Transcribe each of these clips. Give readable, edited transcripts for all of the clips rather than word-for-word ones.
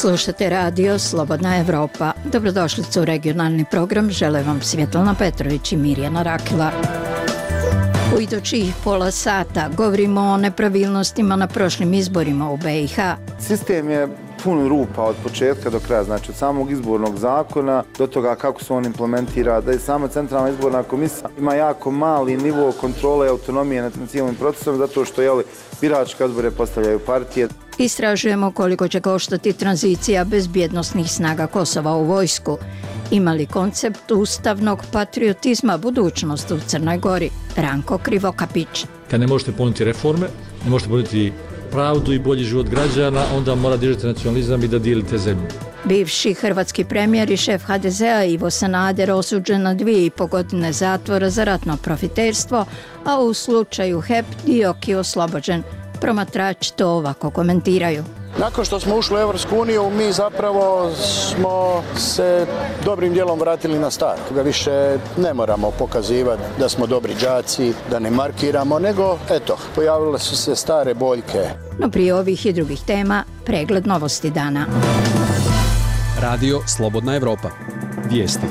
Slušate radio Slobodna Evropa. Dobrodošlicu u regionalni program. Žele vam Svjetlana Petrović i Mirjana Rakila. U idućih pola sata govorimo o nepravilnostima na prošlim izborima u BiH. Sistem je pun rupa od početka do kraja, znači od samog izbornog zakona do toga kako se on implementira, da je sama centralna izborna komisija ima jako mali nivo kontrole i autonomije nad cijelim procesom, zato što biračke odbore postavljaju partije. Istražujemo koliko će koštati tranzicija bezbjednosnih snaga Kosova u vojsku. Ima li koncept ustavnog patriotizma budućnost u Crnoj Gori? Ranko Krivokapić. Kad ne možete ponuditi reforme, ne možete ponuditi pravdu i bolji život građana, onda mora držati nacionalizam i da dijelite zemlju. Bivši hrvatski premijer i šef HDZ-a Ivo Sanader osuđen na 2,5 godine zatvora za ratno profiterstvo, a u slučaju HEP Dioki oslobođen. Promatrači to ovako komentiraju. Nakon što smo ušli u Europsku uniju, mi zapravo smo se dobrim dijelom vratili na staro. Da više ne moramo pokazivati da smo dobri đaci, da ne markiramo, nego pojavile su se stare boljke. No prije ovih i drugih tema, pregled novosti dana. Radio Slobodna Evropa. Vijesti.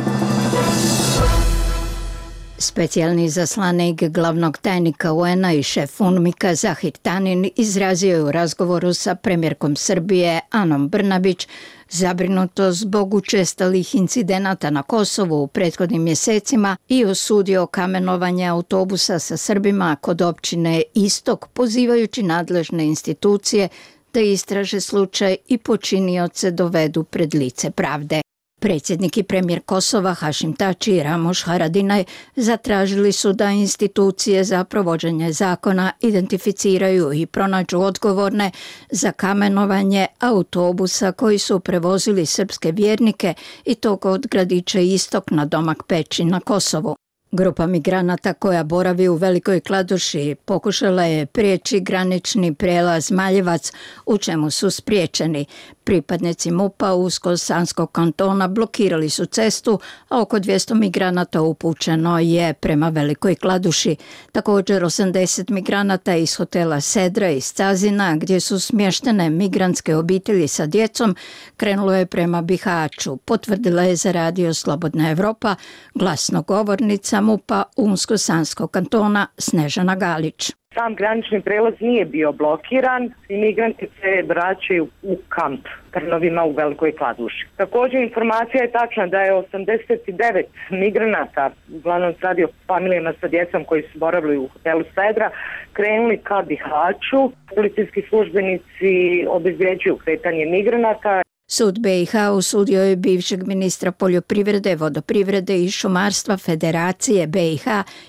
Specijalni izaslanik glavnog tajnika UN-a i šef UNMIK-a Zahir Tanin izrazio je u razgovoru sa premijerkom Srbije Anom Brnabić zabrinutost zbog učestalih incidenata na Kosovu u prethodnim mjesecima i osudio kamenovanje autobusa sa Srbima kod općine Istok, pozivajući nadležne institucije da istraže slučaj i počinioce dovedu pred lice pravde. Predsjednik i premijer Kosova Hašim Tači i Ramuš Haradinaj zatražili su da institucije za provođenje zakona identificiraju i pronađu odgovorne za kamenovanje autobusa koji su prevozili srpske vjernike i to od gradića Istok na Domak Peći na Kosovu. Grupa migranata koja boravi u Velikoj Kladuši pokušala je prijeći granični prijelaz Maljevac, u čemu su spriječeni. Pripadnici MUP-a Unsko-Sanskog kantona blokirali su cestu, a oko 200 migranata upućeno je prema Velikoj Kladuši. Također 80 migranata iz hotela Sedra iz Cazina, gdje su smještene migrantske obitelji sa djecom, krenulo je prema Bihaću, potvrdila je za radio Slobodna Evropa glasnogovornica MUP-a Unsko-Sanskog kantona Snežana Galić. Sam granični prelaz nije bio blokiran i migranti se vraćaju u kamp Trnovima u Velikoj Kladuši. Također informacija je tačna da je 89 migranata, uglavnom se radi o familijama sa djecom koji su boravili u hotelu Sedra, krenuli ka Bihaću. Policijski službenici obezvređuju kretanje migranata. Sud BiH osudio je bivšeg ministra poljoprivrede, vodoprivrede i šumarstva Federacije BiH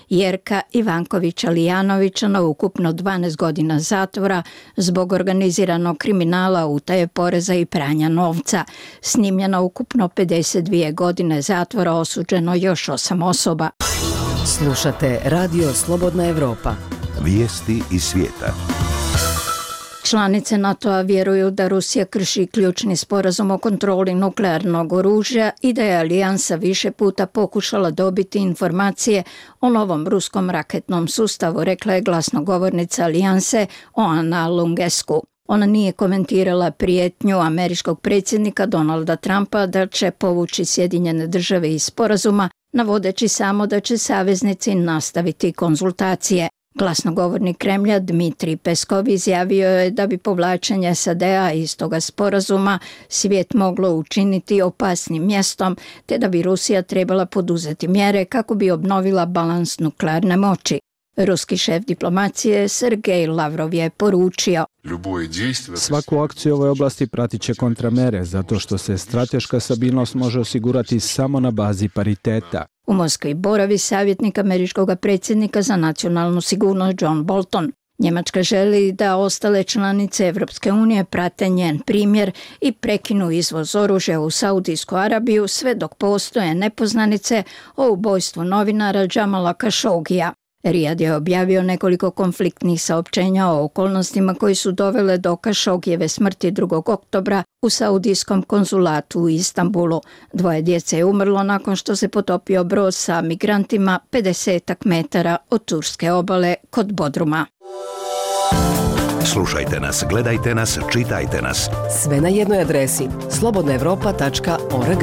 Jerka Ivankovića Lijanovića na ukupno 12 godina zatvora zbog organiziranog kriminala, utaje poreza i pranja novca. S njim je na ukupno 52 godine zatvora osuđeno još 8 osoba. Slušate radio Slobodna Evropa. Vijesti iz svijeta. Članice NATO-a vjeruju da Rusija krši ključni sporazum o kontroli nuklearnog oružja i da je alijansa više puta pokušala dobiti informacije o novom ruskom raketnom sustavu, rekla je glasnogovornica alijanse Oana Lungescu. Ona nije komentirala prijetnju američkog predsjednika Donalda Trumpa da će povući Sjedinjene Države iz sporazuma, navodeći samo da će saveznici nastaviti konzultacije. Glasnogovornik Kremlja Dmitrij Peskov izjavio je da bi povlačenje SAD-a iz toga sporazuma svijet moglo učiniti opasnim mjestom, te da bi Rusija trebala poduzeti mjere kako bi obnovila balans nuklearne moći. Ruski šef diplomacije Sergej Lavrov je poručio: svaku akciju u ovoj oblasti pratit će kontramere, zato što se strateška stabilnost može osigurati samo na bazi pariteta. U Moskvi boravi savjetnik američkog predsjednika za nacionalnu sigurnost John Bolton. Njemačka želi da ostale članice Evropske unije prate njen primjer i prekinu izvoz oružja u Saudijsku Arabiju sve dok postoje nepoznanice o ubojstvu novinara Džamala Kašogija. Rijad je objavio nekoliko konfliktnih saopćenja o okolnostima koji su dovele do Kašogijeve smrti 2. oktobra u saudijskom konzulatu u Istanbulu. 2 djece je umrlo nakon što se potopio brod sa migrantima 50 metara od turske obale kod Bodruma. Slušajte nas, gledajte nas, čitajte nas. Sve na jednoj adresi slobodnaevropa.org.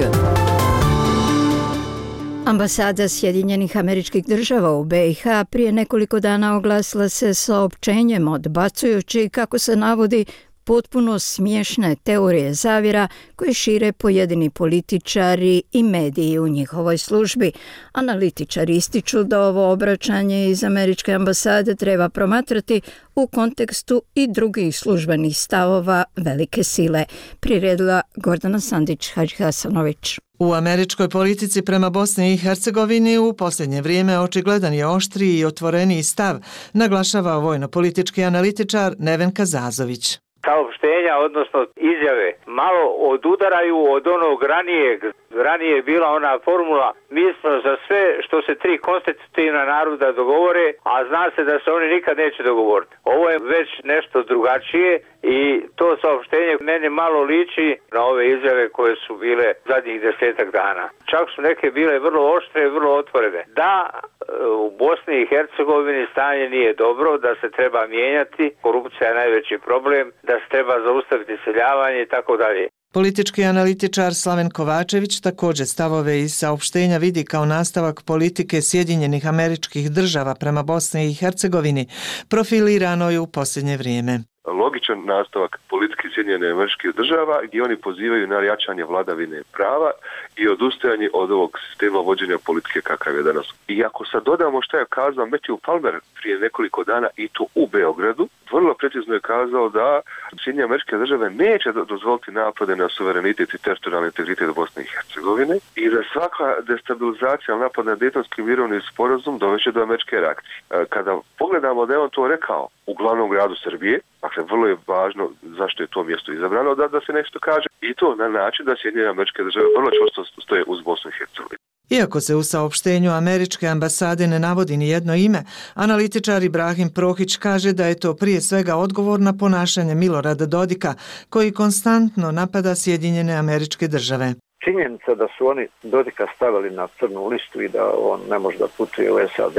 Ambasada Sjedinjenih Američkih Država u BiH prije nekoliko dana oglasila se saopćenjem odbacujući, kako se navodi, potpuno smiješne teorije zavjera koje šire pojedini političari i mediji u njihovoj službi. Analitičari ističu da ovo obraćanje iz američke ambasade treba promatrati u kontekstu i drugih službenih stavova velike sile, priredila Gordana Sandić-Hadžihasanović. U američkoj politici prema Bosni i Hercegovini u posljednje vrijeme očigledan je oštriji i otvoreniji stav, naglašava vojno-politički analitičar Neven Kazazović. Saopštenja, odnosno izjave, malo odudaraju od onog ranijeg. Ranije je bila ona formula, mi smo za sve što se tri konstitutivna naroda dogovore, a zna se da se oni nikad neće dogovoriti. Ovo je već nešto drugačije i to saopštenje meni malo liči na ove izjave koje su bile zadnjih 10 dana. Čak su neke bile vrlo oštre i vrlo otvorene. Da, u Bosni i Hercegovini stanje nije dobro, da se treba mijenjati, korupcija je najveći problem, da se treba zaustaviti iseljavanje i tako dalje. Politički analitičar Slaven Kovačević također stavove iz saopštenja vidi kao nastavak politike Sjedinjenih Američkih Država prema Bosni i Hercegovini, profiliranoj u posljednje vrijeme. Logičan nastavak politike Sjedinjenih Američkih Država gdje oni pozivaju na jačanje vladavine prava i odustajanje od ovog sistema vođenja politike kakav je danas. I ako sad dodamo što je kazao Matthew Palmer prije nekoliko dana i to u Beogradu, vrlo precizno je kazao da Sjedinjene Američke Države neće dozvoliti napade na suverenitet i teritorijalni integritet Bosne i Hercegovine i da svaka destabilizacija, napad na Dejtonski mirovni sporazum doveće do američke reakcije. Kada pogledamo da je on to rekao u glavnom gradu Srbije, dakle vrlo je važno zašto je to mjesto izabrano, da se nešto kaže i to na način da Sjedinjene Američke Države vrlo čvrsto stoje uz Bosnu i Hercegovinu. Iako se u saopštenju američke ambasade ne navodi ni jedno ime, analitičar Ibrahim Prohić kaže da je to prije svega odgovor na ponašanje Milorada Dodika, koji konstantno napada Sjedinjene Američke Države. Činjenica da su oni Dodika stavili na crnu listu i da on ne može da putuje u SAD,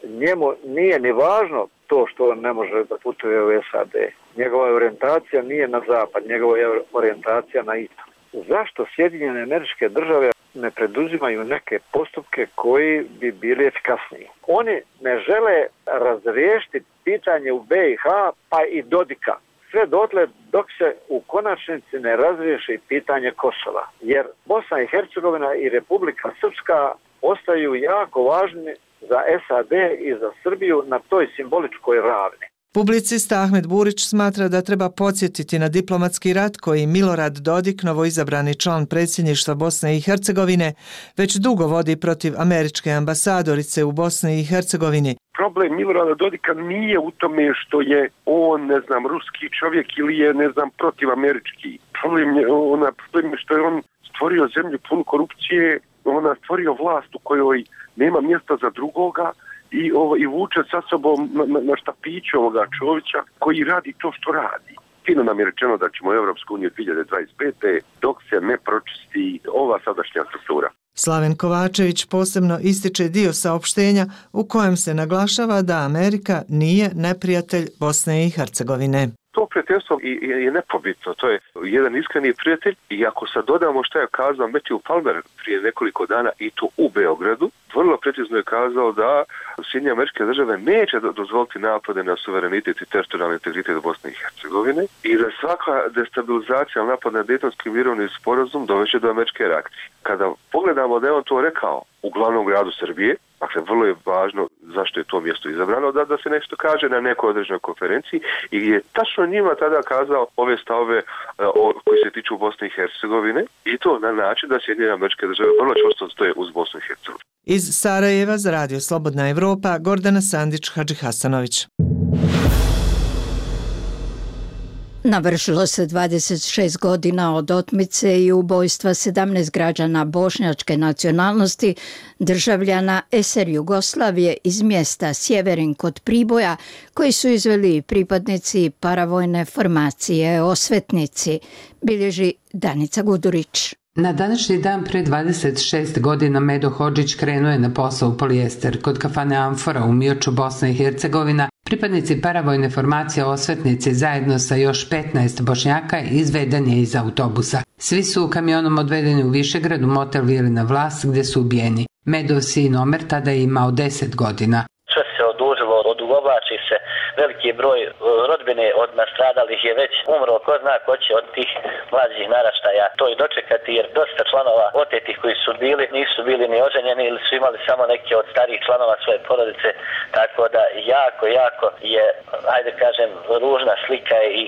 njemu nije ni važno to što on ne može da putuje u SAD. Njegova orijentacija nije na zapad, njegova je orijentacija na istok. Zašto Sjedinjene Američke Države ne preduzimaju neke postupke koji bi bili efikasniji? Oni ne žele razriješiti pitanje u BiH pa i Dodika. Sve dotle dok se u konačnici ne razriješi pitanje Kosova. Jer Bosna i Hercegovina i Republika Srpska ostaju jako važni za SAD i za Srbiju na toj simboličkoj ravni. Publicista Ahmed Burić smatra da treba podsjetiti na diplomatski rat koji Milorad Dodik, novoizabrani član predsjedništva Bosne i Hercegovine, već dugo vodi protiv američke ambasadorice u Bosni i Hercegovini. Problem Milorada Dodika nije u tome što je on, ruski čovjek ili je, protivamerički. Problem je što je on stvorio zemlju punu korupcije, on stvorio vlast u kojoj nema mjesta za drugoga i vuče sa sobom na štapiću ovoga Čovića koji radi to što radi. Fino nam je rečeno da ćemo u Europsku uniju 2025. dok se ne pročisti ova sadašnja struktura. Slaven Kovačević posebno ističe dio saopštenja u kojem se naglašava da Amerika nije neprijatelj Bosne i Hercegovine. To prijateljstvo je nepobitno, to je jedan iskreni prijatelj i ako sad dodamo što je kazao Matthew Palmer prije nekoliko dana i to u Beogradu, vrlo precizno je kazao da Sjedinjene Američke Države neće dozvoliti napade na suverenitet i teritorijalni integritet Bosne i Hercegovine i da svaka destabilizacija, napad na Dejtonski mirovni sporazum doveće do američke reakcije. Kada pogledamo da je on to rekao u glavnom gradu Srbije, dakle vrlo je važno zašto je to mjesto izabrano, da se nešto kaže na nekoj određenoj konferenciji i gdje je tačno njima tada kazao ove stavove koji se tiču Bosne i Hercegovine i to na način da Sjedinjene Američke Države vrlo čvrsto stoje uz Bosnu i Hercegovinu. Iz Sarajeva za Radio Slobodna Evropa, Gordana Sandić-Hadžihasanović. Navršilo se 26 godina od otmice i ubojstva 17 građana bošnjačke nacionalnosti, državljana SR Jugoslavije iz mjesta Sjeverin kod Priboja, koji su izveli pripadnici paravojne formacije Osvetnici, bilježi Danica Gudurić. Na današnji dan pre 26 godina Medo Hodžić krenuo je na posao u Polijester kod kafane Amfora u Mioču, Bosna i Hercegovina, Pripadnici paravojne formacije Osvetnici zajedno sa još 15 Bošnjaka izveden je iz autobusa. Svi su kamionom odvedeni u Višegrad u motel Vilina Vlas gdje su ubijeni. Medov sin Omer tada je imao 10 godina. Sve se odužilo, odugovlači se, veliki broj rodbine od nastradalih je već umro, ko zna ko će od tih mlađih naraštaja to i dočekati, jer dosta članova otetih koji su bili nisu bili ni oženjeni ili su imali samo neke od starijih članova svoje porodice, tako da jako je, ajde kažem, ružna slika i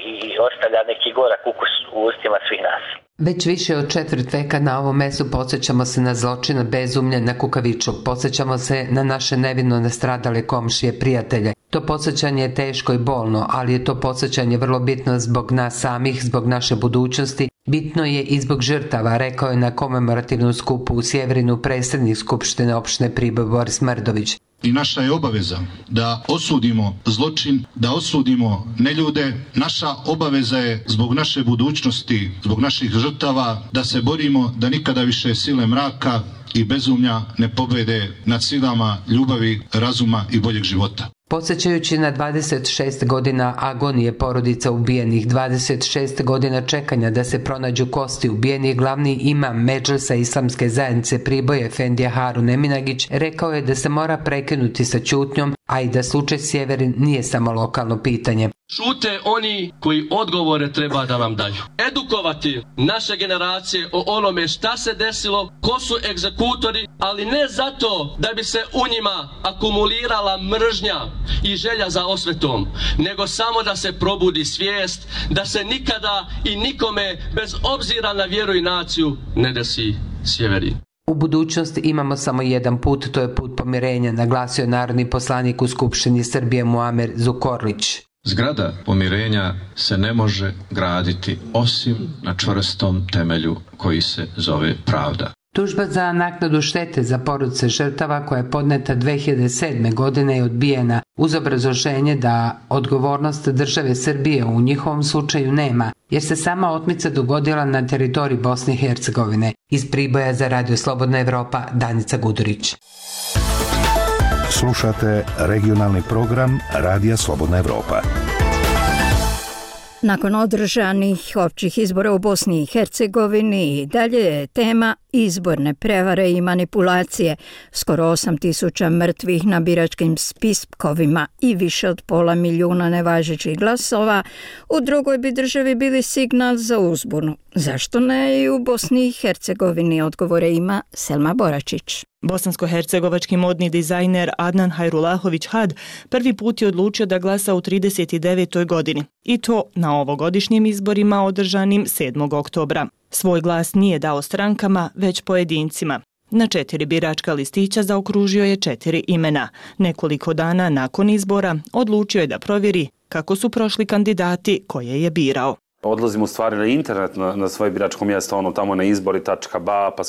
ostavlja neki gorak ukus u ustima svih nas. Već više od 4 veka na ovom mestu podsjećamo se na zločina bezumlje na Kukavičluk, podsjećamo se na naše nevino nastradale komšije, prijatelje. To podsjećanje je teško i bolno, ali je to podsjećanje vrlo bitno zbog nas samih, zbog naše budućnosti. Bitno je i zbog žrtava, rekao je na komemorativnom skupu u Sjeverinu predsjednik Skupštine opštine Priboj Boris Mrdović. I naša je obaveza da osudimo zločin, da osudimo neljude. Naša obaveza je zbog naše budućnosti, zbog naših žrtava, da se borimo da nikada više sile mraka i bezumlja ne pobede nad silama ljubavi, razuma i boljeg života. Podsjećajući na 26 godina agonije porodica ubijenih, 26 godina čekanja da se pronađu kosti ubijenih, glavni imam Medžlisa Islamske zajednice Priboja Efendija Harun Eminagić rekao je da se mora prekinuti sa ćutnjom, a i da slučaj Sjeverin nije samo lokalno pitanje. Šute oni koji odgovore treba da nam daju. Edukovati naše generacije o onome šta se desilo, ko su egzekutori, ali ne zato da bi se u njima akumulirala mržnja i želja za osvetom, nego samo da se probudi svijest da se nikada i nikome bez obzira na vjeru i naciju ne desi Sjeverin. U budućnosti imamo samo jedan put, to je put pomirenja, naglasio narodni poslanik u Skupštini Srbije Muamer Zukorlić. Zgrada pomirenja se ne može graditi osim na čvrstom temelju koji se zove pravda. Tužba za naknadu štete za porodice žrtava koja je podneta 2007. godine je odbijena uz obrazloženje da odgovornost države Srbije u njihovom slučaju nema, jer se sama otmica dogodila na teritoriji Bosne i Hercegovine. Iz Priboja za Radio Slobodna Evropa, Danica Gudurić. Slušate regionalni program Radija Slobodna Evropa. Nakon održanih općih izbora u Bosni i Hercegovini i dalje je tema izborne prevare i manipulacije. Skoro 8.000 mrtvih na biračkim spiskovima i više od 500.000 nevažećih glasova u drugoj bi državi bili signal za uzbunu. Zašto ne i u Bosni i Hercegovini, odgovore ima Selma Boračić. Bosansko-hercegovački modni dizajner Adnan Hajrulahović Had prvi put je odlučio da glasa u 39. godini i to na ovogodišnjim izborima održanim 7. oktobra. Svoj glas nije dao strankama, već pojedincima. Na 4 biračka listića zaokružio je 4 imena. Nekoliko dana nakon izbora odlučio je da provjeri kako su prošli kandidati koje je birao. Odlazimo u stvari na internet, na svoje biračko mjesto, tamo na izbori.ba, pa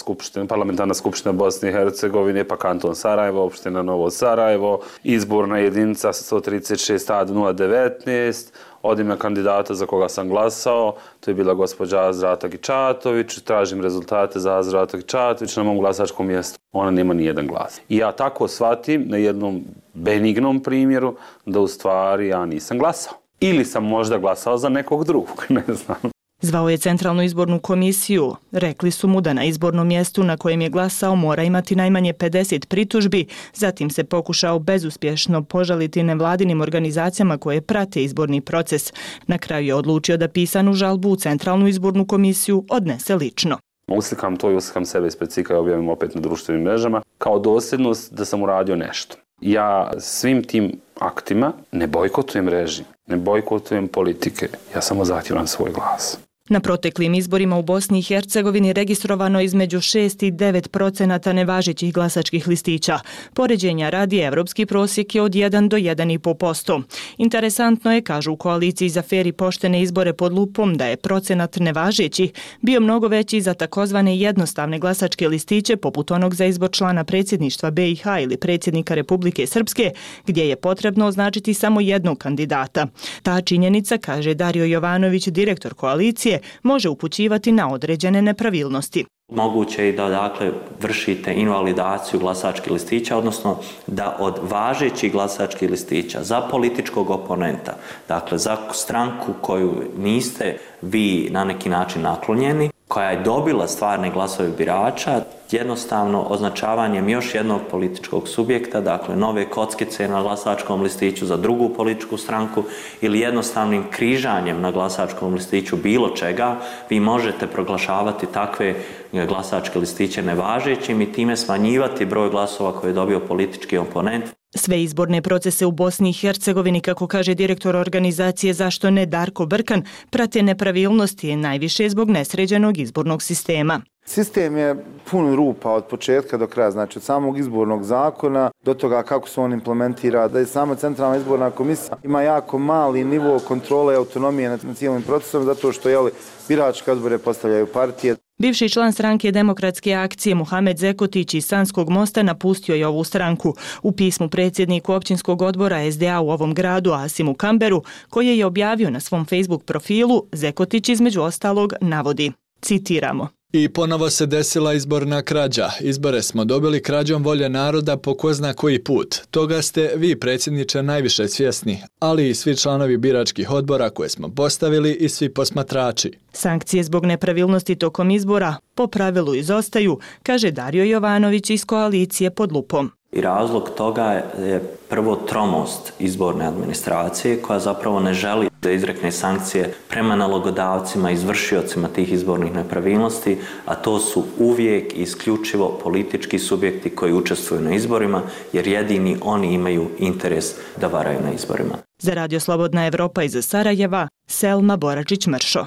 parlamentarna skupština Bosne i Hercegovine, pa kanton Sarajevo, opština Novo Sarajevo, izborna jedinica 136A019, odim na kandidata za koga sam glasao, to je bila gospođa Azra Tagičatović, tražim rezultate za Azra Tagičatović na mom glasačkom mjestu. Ona nema nijedan glas. I ja tako shvatim na jednom benignom primjeru da u stvari ja nisam glasao. Ili sam možda glasao za nekog drugog, ne znam. Zvao je Centralnu izbornu komisiju. Rekli su mu da na izbornom mjestu na kojem je glasao mora imati najmanje 50 pritužbi, zatim se pokušao bezuspješno požaliti nevladinim organizacijama koje prate izborni proces. Na kraju je odlučio da pisanu žalbu u Centralnu izbornu komisiju odnese lično. Uslikam to i uslikam sebe ispred cika i objavim opet na društvenim mrežama kao dosljednost da sam uradio nešto. Ja svim tim aktima ne bojkotujem režim, ne bojkotujem politike, ja samo zahtijevam svoj glas. Na proteklim izborima u Bosni i Hercegovini registrovano između 6 i 9% nevažećih glasačkih listića. Poređenja radi evropski prosjek je od 1 do 1,5%. Interesantno je, kažu u koaliciji za fer i poštene izbore pod lupom, da je procenat nevažećih bio mnogo veći za takozvane jednostavne glasačke listiće poput onog za izbor člana predsjedništva BiH ili predsjednika Republike Srpske, gdje je potrebno označiti samo jednog kandidata. Ta činjenica, kaže Dario Jovanović, direktor koalicije, može upućivati na određene nepravilnosti. Moguće je da dakle vršite invalidaciju glasačkih listića, odnosno da od važećih glasačkih listića za političkog oponenta, dakle za stranku koju niste vi na neki način naklonjeni, koja je dobila stvarne glasove birača, jednostavno označavanjem još jednog političkog subjekta, dakle nove kockice na glasačkom listiću za drugu političku stranku ili jednostavnim križanjem na glasačkom listiću bilo čega, vi možete proglašavati takve glasačke listiće nevažećim i time smanjivati broj glasova koje je dobio politički oponent. Sve izborne procese u Bosni i Hercegovini, kako kaže direktor organizacije Zašto ne Darko Brkan, prate nepravilnosti najviše zbog nesređenog izbornog sistema. Sistem je pun rupa od početka do kraja, znači od samog izbornog zakona do toga kako se on implementira, da je sama centralna izborna komisija ima jako mali nivo kontrole i autonomije nad cijelim procesom, zato što biračke odbore postavljaju partije. Bivši član stranke Demokratske akcije Muhamed Zekotić iz Sanskog Mosta napustio je ovu stranku. U pismu predsjedniku općinskog odbora SDA u ovom gradu Asimu Kamberu, koje je objavio na svom Facebook profilu, Zekotić između ostalog navodi, citiramo: I ponovo se desila izborna krađa. Izbore smo dobili krađom volje naroda po ko zna koji put. Toga ste vi, predsjedniče, najviše svjesni, ali i svi članovi biračkih odbora koje smo postavili i svi posmatrači. Sankcije zbog nepravilnosti tokom izbora po pravilu izostaju, kaže Dario Jovanović iz koalicije Pod lupom. I razlog toga je prvo tromost izborne administracije koja zapravo ne želi da izrekne sankcije prema nalogodavcima, izvršiocima tih izbornih nepravilnosti, a to su uvijek isključivo politički subjekti koji učestvuju na izborima, jer jedini oni imaju interes da varaju na izborima. Za Radio Slobodna Evropa iz Sarajeva, Selma Boračić-Mršo.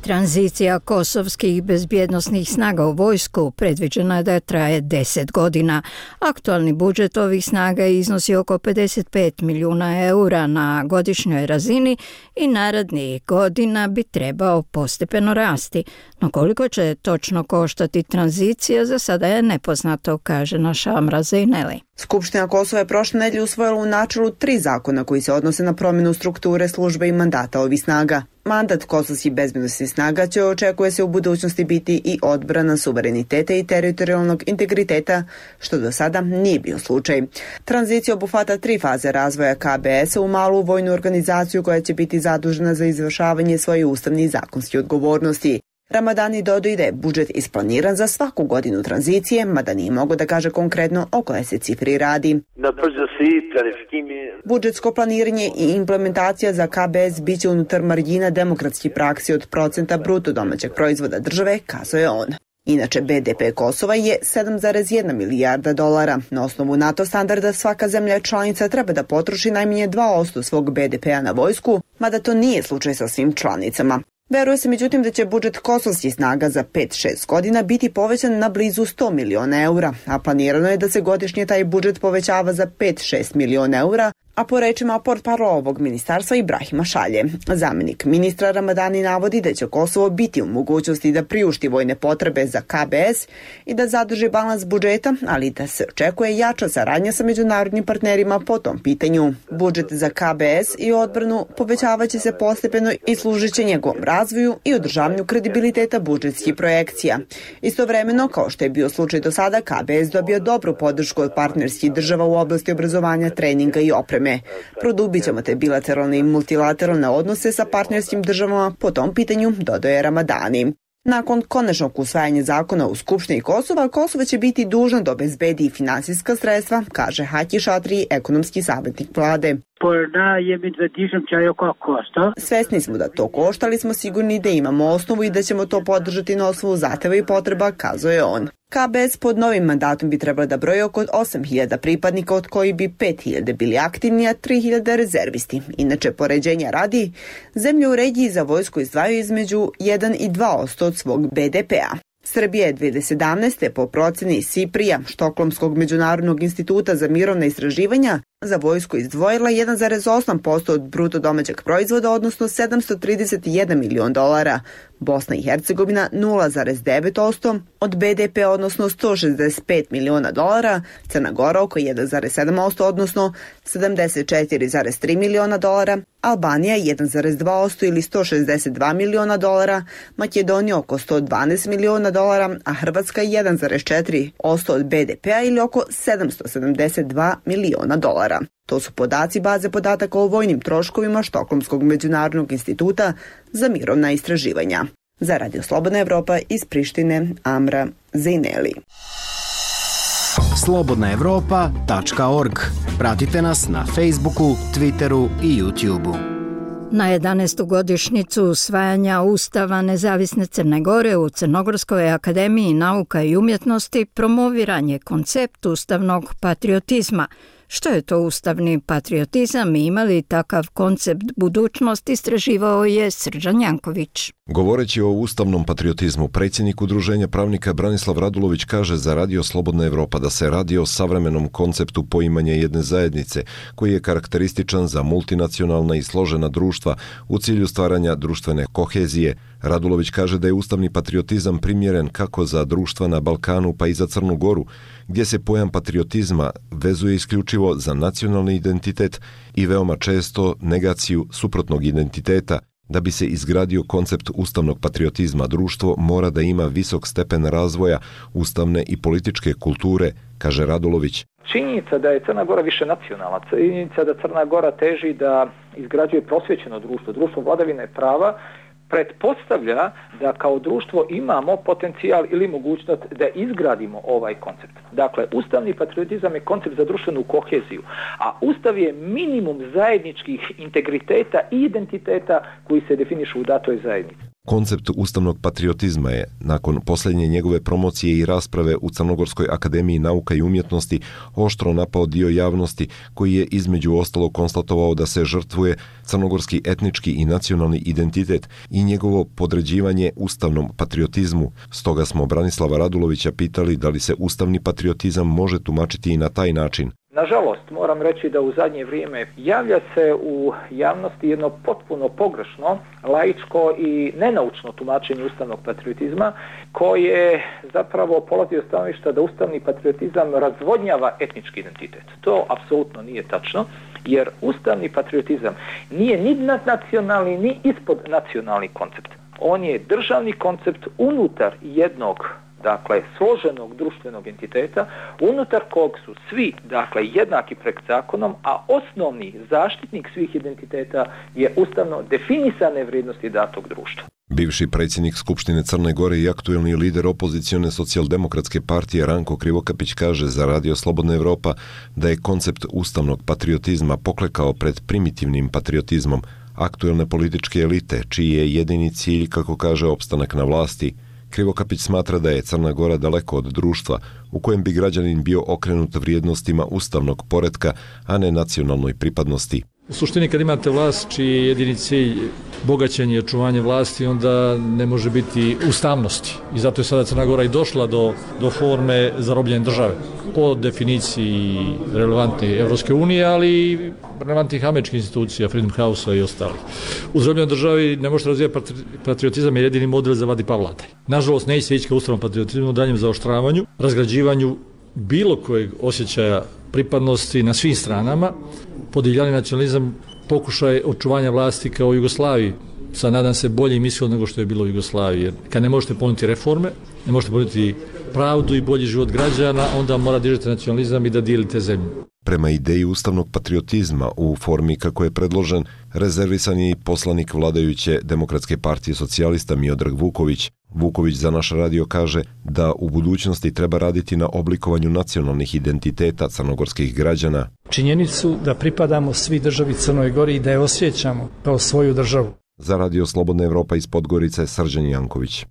Tranzicija kosovskih bezbjednosnih snaga u vojsku predviđena je da traje 10 godina. Aktualni budžet ovih snaga iznosi oko 55 milijuna eura na godišnjoj razini i narednih godina bi trebao postepeno rasti. No koliko će točno koštati tranzicija, za sada je nepoznato, kaže naša Amra Zejneli. Skupština Kosova je prošle nedelje usvojila u načelu 3 zakona koji se odnose na promjenu strukture službe i mandata ovih snaga. Mandat kosovskih bezbjednosnih snaga će, očekuje se, u budućnosti biti i odbrana suvereniteta i teritorijalnog integriteta, što do sada nije bio slučaj. Tranzicija obuhvata 3 faze razvoja KBS-a u malu vojnu organizaciju koja će biti zadužena za izvršavanje svoje ustavne i zakonske odgovornosti. Ramadani dodaju da je budžet isplaniran za svaku godinu tranzicije, mada nije mogo da kaže konkretno o koje se cifri radi. Budžetsko planiranje i implementacija za KBS biće unutar margina demokratskih praksi od procenta bruto domaćeg proizvoda države, kazao je on. Inače, BDP Kosova je 7,1 milijarda dolara. Na osnovu NATO standarda svaka zemlja članica treba da potroši najmanje 2% svog BDP-a na vojsku, mada to nije slučaj sa svim članicama. Veruje se međutim da će budžet kosovskih snaga za 5-6 godina biti povećan na blizu 100 miliona eura, a planirano je da se godišnje taj budžet povećava za 5-6 miliona eura, a po rečima portparla ovog ministarstva Ibrahima Šalje. Zamjenik ministra Ramadani navodi da će Kosovo biti u mogućnosti da priušti vojne potrebe za KBS i da zadrži balans budžeta, ali da se očekuje jača saradnja sa međunarodnim partnerima po tom pitanju. Budžet za KBS i odbranu povećavaće se postepeno i služit će njegovom razvoju i održavanju kredibiliteta budžetskih projekcija. Istovremeno, kao što je bio slučaj do sada, KBS dobio dobru podršku od partnerskih država u oblasti obrazovanja, treninga i opreme. Produbit ćemo te bilateralne i multilateralne odnose sa partnerskim državama po tom pitanju, dodaje Ramadani. Nakon konačnog usvajanja zakona u Skupštini Kosova, Kosovo će biti dužno da obezbedi i finansijska sredstva, kaže Haki Šatri, ekonomski savjetnik vlade. Svesni smo da to košta, ali smo sigurni da imamo osnovu i da ćemo to podržati na osnovu zahteva i potreba, kazao je on. KBS pod novim mandatom bi trebalo da broji oko 8.000 pripadnika, od koji bi 5.000 bili aktivni, a 3.000 rezervisti. Inače, poređenja radi, zemlje u regiji za vojsku izdvajaju između 1 i 2% od svog BDP-a. Srbija je 2017. po proceni SIPRI-a, Štokholmskog međunarodnog instituta za mirovna istraživanja, za vojsku izdvojila 1,8% od bruto domaćeg proizvoda, odnosno 731 milion dolara. Bosna i Hercegovina 0,9% od BDP, odnosno 165 miliona dolara, Crna Gora oko 1,7%, odnosno 74,3 miliona dolara, Albanija 1,2% ili 162 miliona dolara, Makedonija oko 112 miliona dolara, a Hrvatska 1,4% od BDP-a ili oko 772 miliona dolara. To su podaci baze podataka o vojnim troškovima Štokholmskog međunarodnog instituta za mirovna istraživanja. Za Radio Slobodna Evropa iz Prištine, Amra Zejneli. slobodnaevropa.org. Pratite nas na Facebooku, Twitteru i YouTubeu. Na 11. godišnjicu usvajanja Ustava Nezavisne Crne Gore u Crnogorskoj akademiji nauka i umjetnosti promoviran je koncept ustavnog patriotizma. Što je to ustavni patriotizam i ima li takav koncept budućnosti, istraživao je Srđan Janković. Govoreći o ustavnom patriotizmu, predsjednik Udruženja pravnika Branislav Radulović kaže za Radio Slobodna Evropa da se radi o savremenom konceptu poimanja jedne zajednice, koji je karakterističan za multinacionalna i složena društva u cilju stvaranja društvene kohezije. Radulović kaže da je ustavni patriotizam primjeren kako za društva na Balkanu pa i za Crnu Goru, gdje se pojam patriotizma vezuje isključivo za nacionalni identitet i veoma često negaciju suprotnog identiteta. Da bi se izgradio koncept ustavnog patriotizma, društvo mora da ima visok stepen razvoja ustavne i političke kulture, kaže Radulović. Činjenica da je Crna Gora više nacionalna, činjenica da Crna Gora teži da izgrađuje prosvjećeno društvo, društvo vladavine prava, pretpostavlja da kao društvo imamo potencijal ili mogućnost da izgradimo ovaj koncept. Dakle, ustavni patriotizam je koncept za društvenu koheziju, a ustav je minimum zajedničkih integriteta i identiteta koji se definišu u datoj zajednici. Koncept ustavnog patriotizma je, nakon posljednje njegove promocije i rasprave u Crnogorskoj akademiji nauka i umjetnosti, oštro napao dio javnosti koji je između ostalog konstatovao da se žrtvuje crnogorski etnički i nacionalni identitet i njegovo podređivanje ustavnom patriotizmu. Stoga smo Branislava Radulovića pitali da li se ustavni patriotizam može tumačiti i na taj način. Nažalost, moram reći da u zadnje vrijeme javlja se u javnosti jedno potpuno pogrešno, laičko i nenaučno tumačenje ustavnog patriotizma, koje zapravo polazi od stanovišta da ustavni patriotizam razvodnjava etnički identitet. To apsolutno nije tačno, jer ustavni patriotizam nije ni nadnacionalni ni ispod nacionalni koncept. On je državni koncept unutar jednog, dakle, složenog društvenog entiteta, unutar kog su svi, dakle, jednaki pred zakonom, a osnovni zaštitnik svih identiteta je ustavno definisane vrijednosti datog društva. Bivši predsjednik Skupštine Crne Gore i aktuelni lider opozicione socijaldemokratske partije Ranko Krivokapić kaže za Radio Slobodna Evropa da je koncept ustavnog patriotizma poklekao pred primitivnim patriotizmom aktuelne političke elite, čiji je jedini cilj, kako kaže, opstanak na vlasti. Krivokapić smatra da je Crna Gora daleko od društva u kojem bi građanin bio okrenut vrijednostima ustavnog poretka, a ne nacionalnoj pripadnosti. U suštini kad imate vlast čiji je jedini cilj bogaćenje i očuvanje vlasti, onda ne može biti ustavnosti. I zato je sada Crna Gora i došla do forme zarobljene države. Po definiciji relevantne Evropske unije, ali i relevantnih američkih institucija, Freedom House-a i ostalih. U zarobljenoj državi ne možete razvijati patriotizam, je jedini model za vadi pavlataj. Nažalost, ne će ići ka ustavnom patriotizmu, daljem zaoštravanju, razgrađivanju bilo kojeg osjećaja pripadnosti na svim stranama, podivljani nacionalizam, pokušaj očuvanja vlasti kao u Jugoslaviji, sa nadam se boljim ishod nego što je bilo u Jugoslaviji. Jer kad ne možete ponuditi reforme, ne možete ponuditi pravdu i bolji život građana, onda mora dižete nacionalizam i da dijelite zemlju. Prema ideji ustavnog patriotizma u formi kako je predložen, rezervisan je i poslanik vladajuće Demokratske partije socijalista Miodrag Vuković. Vuković za naš radio kaže da u budućnosti treba raditi na oblikovanju nacionalnih identiteta crnogorskih građana. Činjenicu da pripadamo svi državi Crnoj Gori i da je osjećamo kao svoju državu. Za Radio Slobodna Evropa iz Podgorice, Srđan Janković.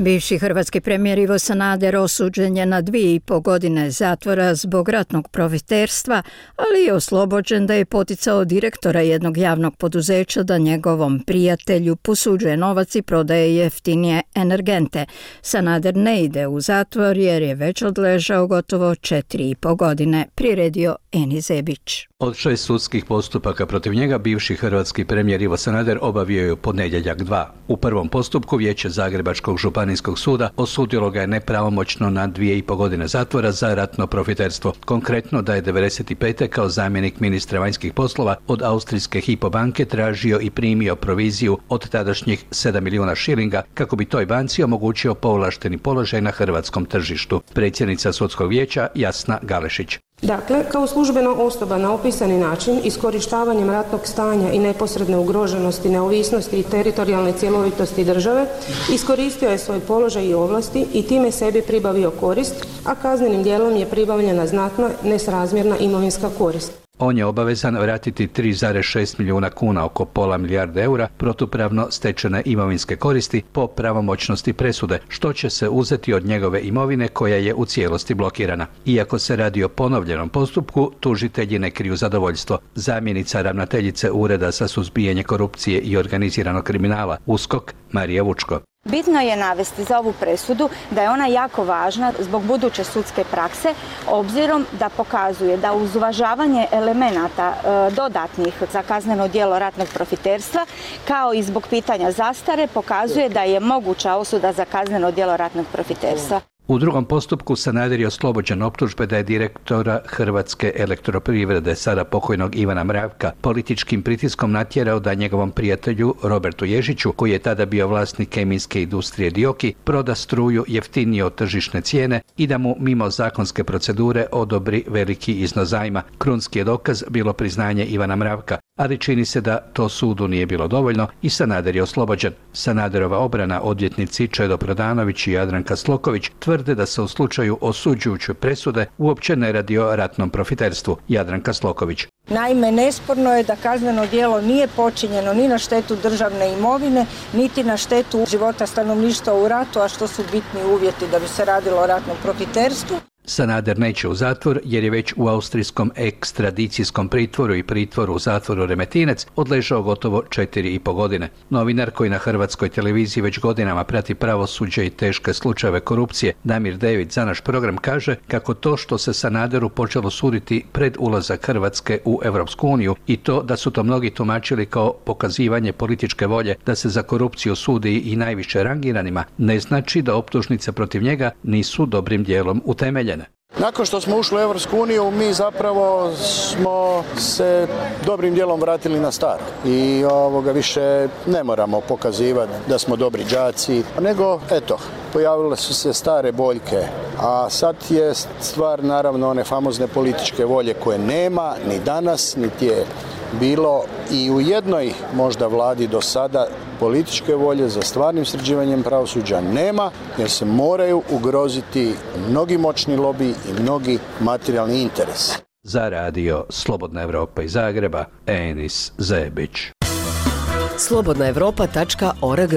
Bivši hrvatski premijer Ivo Sanader osuđen je na 2,5 godine zatvora zbog ratnog profiterstva, ali je oslobođen da je poticao direktora jednog javnog poduzeća da njegovom prijatelju posuđuje novac i prodaje jeftinije energente. Sanader ne ide u zatvor jer je već odležao gotovo 4,5 godine, priredio Eni Zebić. Od 6 sudskih postupaka protiv njega bivši hrvatski premijer Ivo Sanader obavio je u ponedjeljak 2. U prvom postupku Vijeće Zagrebačkog županijskog suda osudilo ga je nepravomoćno na 2,5 godine zatvora za ratno profiterstvo. Konkretno da je 95. kao zamjenik ministra vanjskih poslova od austrijske Hypo banke tražio i primio proviziju od tadašnjih 7 milijuna šilinga kako bi toj banci omogućio povlašteni položaj na hrvatskom tržištu. Predsjednica sudskog vijeća Jasna Galešić. Dakle, kao službena osoba na opisani način, iskorištavanjem ratnog stanja i neposredne ugroženosti, neovisnosti i teritorijalne cjelovitosti države, iskoristio je svoj položaj i ovlasti i time sebi pribavio korist, a kaznenim djelom je pribavljena znatna nesrazmjerna imovinska korist. On je obavezan vratiti 3,6 milijuna kuna, oko pola milijarde eura, protupravno stečene imovinske koristi po pravomoćnosti presude, što će se uzeti od njegove imovine koja je u cijelosti blokirana. Iako se radi o ponovljenom postupku, tužitelji ne kriju zadovoljstvo. Zamjenica ravnateljice Ureda za suzbijanje korupcije i organiziranog kriminala, USKOK, Marija Vučko. Bitno je navesti za ovu presudu da je ona jako važna zbog buduće sudske prakse, obzirom da pokazuje da uz uvažavanje elemenata dodatnih za kazneno djelo ratnog profiterstva, kao i zbog pitanja zastare, pokazuje da je moguća osuda za kazneno djelo ratnog profiterstva. U drugom postupku Sanader je oslobođen optužbe da je direktora Hrvatske elektroprivrede, sada pokojnog Ivana Mravka, političkim pritiskom natjerao da njegovom prijatelju Robertu Ježiću, koji je tada bio vlasnik kemijske industrije Dioki, proda struju jeftinije od tržišne cijene i da mu mimo zakonske procedure odobri veliki iznos zajma. Krunski je dokaz bilo priznanje Ivana Mravka, ali čini se da to sudu nije bilo dovoljno i Sanader je oslobođen. Sanaderova obrana, odvjetnici Čedo Prodanović i Jadranka Sloković, tvrde da se u slučaju osuđujuće presude uopće ne radi o ratnom profiterstvu. Jadranka Sloković. Naime, nesporno je da kazneno djelo nije počinjeno ni na štetu državne imovine, niti na štetu života stanovništva u ratu, a što su bitni uvjeti da bi se radilo o ratnom profiterstvu. Sanader neće u zatvor jer je već u austrijskom ekstradicijskom pritvoru i pritvoru u zatvoru Remetinec odležao gotovo 4,5 godine. Novinar koji na hrvatskoj televiziji već godinama prati pravosuđe i teške slučajeve korupcije, Damir Dević za naš program kaže kako to što se Sanaderu počelo suditi pred ulazak Hrvatske u Europsku uniju i to da su to mnogi tumačili kao pokazivanje političke volje da se za korupciju sudi i najviše rangiranima, ne znači da optužnice protiv njega nisu dobrim dijelom utemeljene. Nakon što smo ušli u Europsku uniju, mi zapravo smo se dobrim dijelom vratili na staro. I više ne moramo pokazivati da smo dobri đaci, nego pojavile su se stare boljke. A sad je stvar naravno one famozne političke volje koje nema ni danas, niti je bilo i u jednoj možda vladi do sada političke volje za stvarnim sređivanjem pravosuđa nema, jer se moraju ugroziti mnogi moćni lobi i mnogi materijalni interesi. Za radio Slobodna Evropa iz Zagreba, Enis Zebić. slobodnaevropa.org.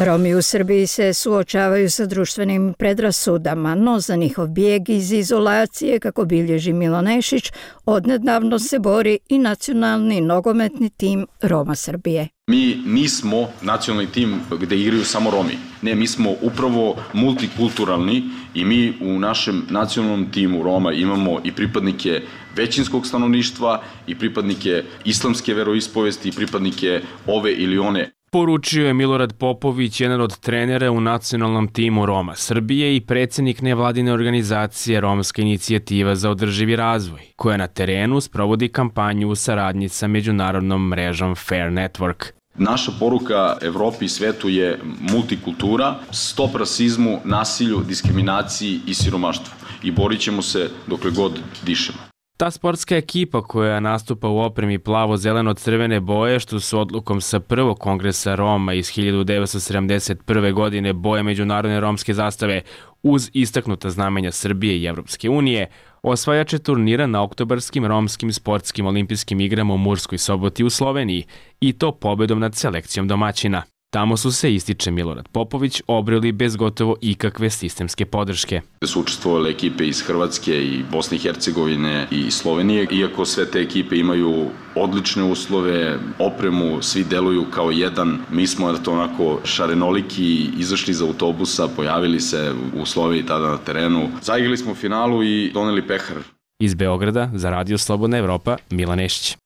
Romi u Srbiji se suočavaju sa društvenim predrasudama, no za njihov bijeg iz izolacije, kako bilježi Milo Nešić, odnedavno se bori i nacionalni nogometni tim Roma Srbije. Mi nismo nacionalni tim gdje igraju samo Romi. Ne, mi smo upravo multikulturalni i mi u našem nacionalnom timu Roma imamo i pripadnike većinskog stanovništva i pripadnike islamske veroispovesti i pripadnike ove ili one. Poručio je Milorad Popović, jedan od trenera u nacionalnom timu Roma Srbije i predsjednik nevladine organizacije Romska inicijativa za održivi razvoj, koja na terenu sprovodi kampanju u saradnji sa međunarodnom mrežom Fair Network. Naša poruka Evropi i svetu je multikultura, stop rasizmu, nasilju, diskriminaciji i siromaštvu. I borit ćemo se dokle god dišemo. Ta sportska ekipa koja nastupa u opremi plavo-zeleno-crvene boje, što su odlukom sa prvog kongresa Roma iz 1971. godine boje međunarodne romske zastave uz istaknuta znamenja Srbije i Evropske unije, osvajače turnira na oktobarskim romskim sportskim olimpijskim igrama u Murskoj Soboti u Sloveniji i to pobedom nad selekcijom domaćina. Tamo su se, ističe Milorad Popović, obreli bez gotovo ikakve sistemske podrške. Su učestvovale ekipe iz Hrvatske i Bosne i Hercegovine i Slovenije. Iako sve te ekipe imaju odlične uslove, opremu, svi deluju kao jedan. Mi smo onako šarenoliki, izašli iz autobusa, pojavili se u Sloveniji tada na terenu. Zaigrali smo finalu i doneli pehar. Iz Beograda za Radio Slobodna Evropa, Milan Nešić.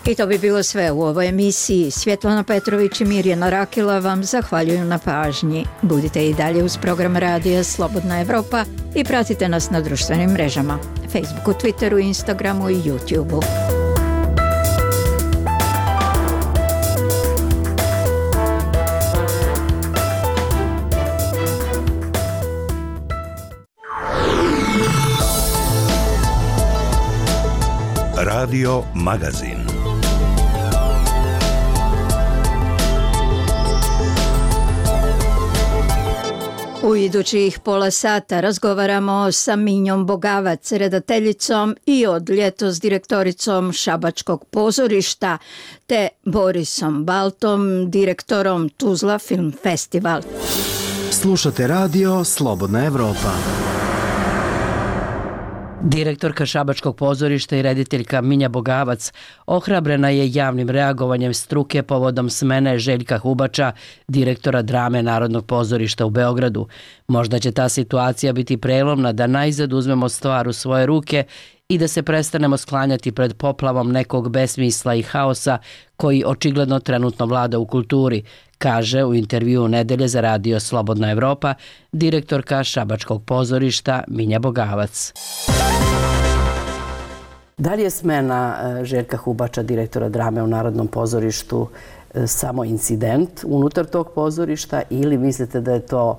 I to bi bilo sve u ovoj emisiji. Svjetlana Petrović i Mirjana Rakila vam zahvaljuju na pažnji. Budite i dalje uz program Radija Slobodna Evropa i pratite nas na društvenim mrežama, Facebooku, Twitteru, Instagramu i YouTubeu. Radio Magazin. U idućih pola sata razgovaramo sa Minjom Bogavac, redateljicom i od ljetos direktoricom Šabačkog pozorišta, te Borisom Baltom, direktorom Tuzla Film Festival. Slušate radio Slobodna Evropa. Direktorka Šabačkog pozorišta i rediteljka Minja Bogavac ohrabrena je javnim reagovanjem struke povodom smene Željka Hubača, direktora drame Narodnog pozorišta u Beogradu. Možda će ta situacija biti prelomna da najzad uzmemo stvar u svoje ruke i da se prestanemo sklanjati pred poplavom nekog besmisla i haosa koji očigledno trenutno vlada u kulturi, kaže u intervjuu Nedelje za Radio Slobodna Evropa direktorka Šabačkog pozorišta Minja Bogavac. Da li je smena Željka Hubača, direktora drame u Narodnom pozorištu, samo incident unutar tog pozorišta ili mislite da je to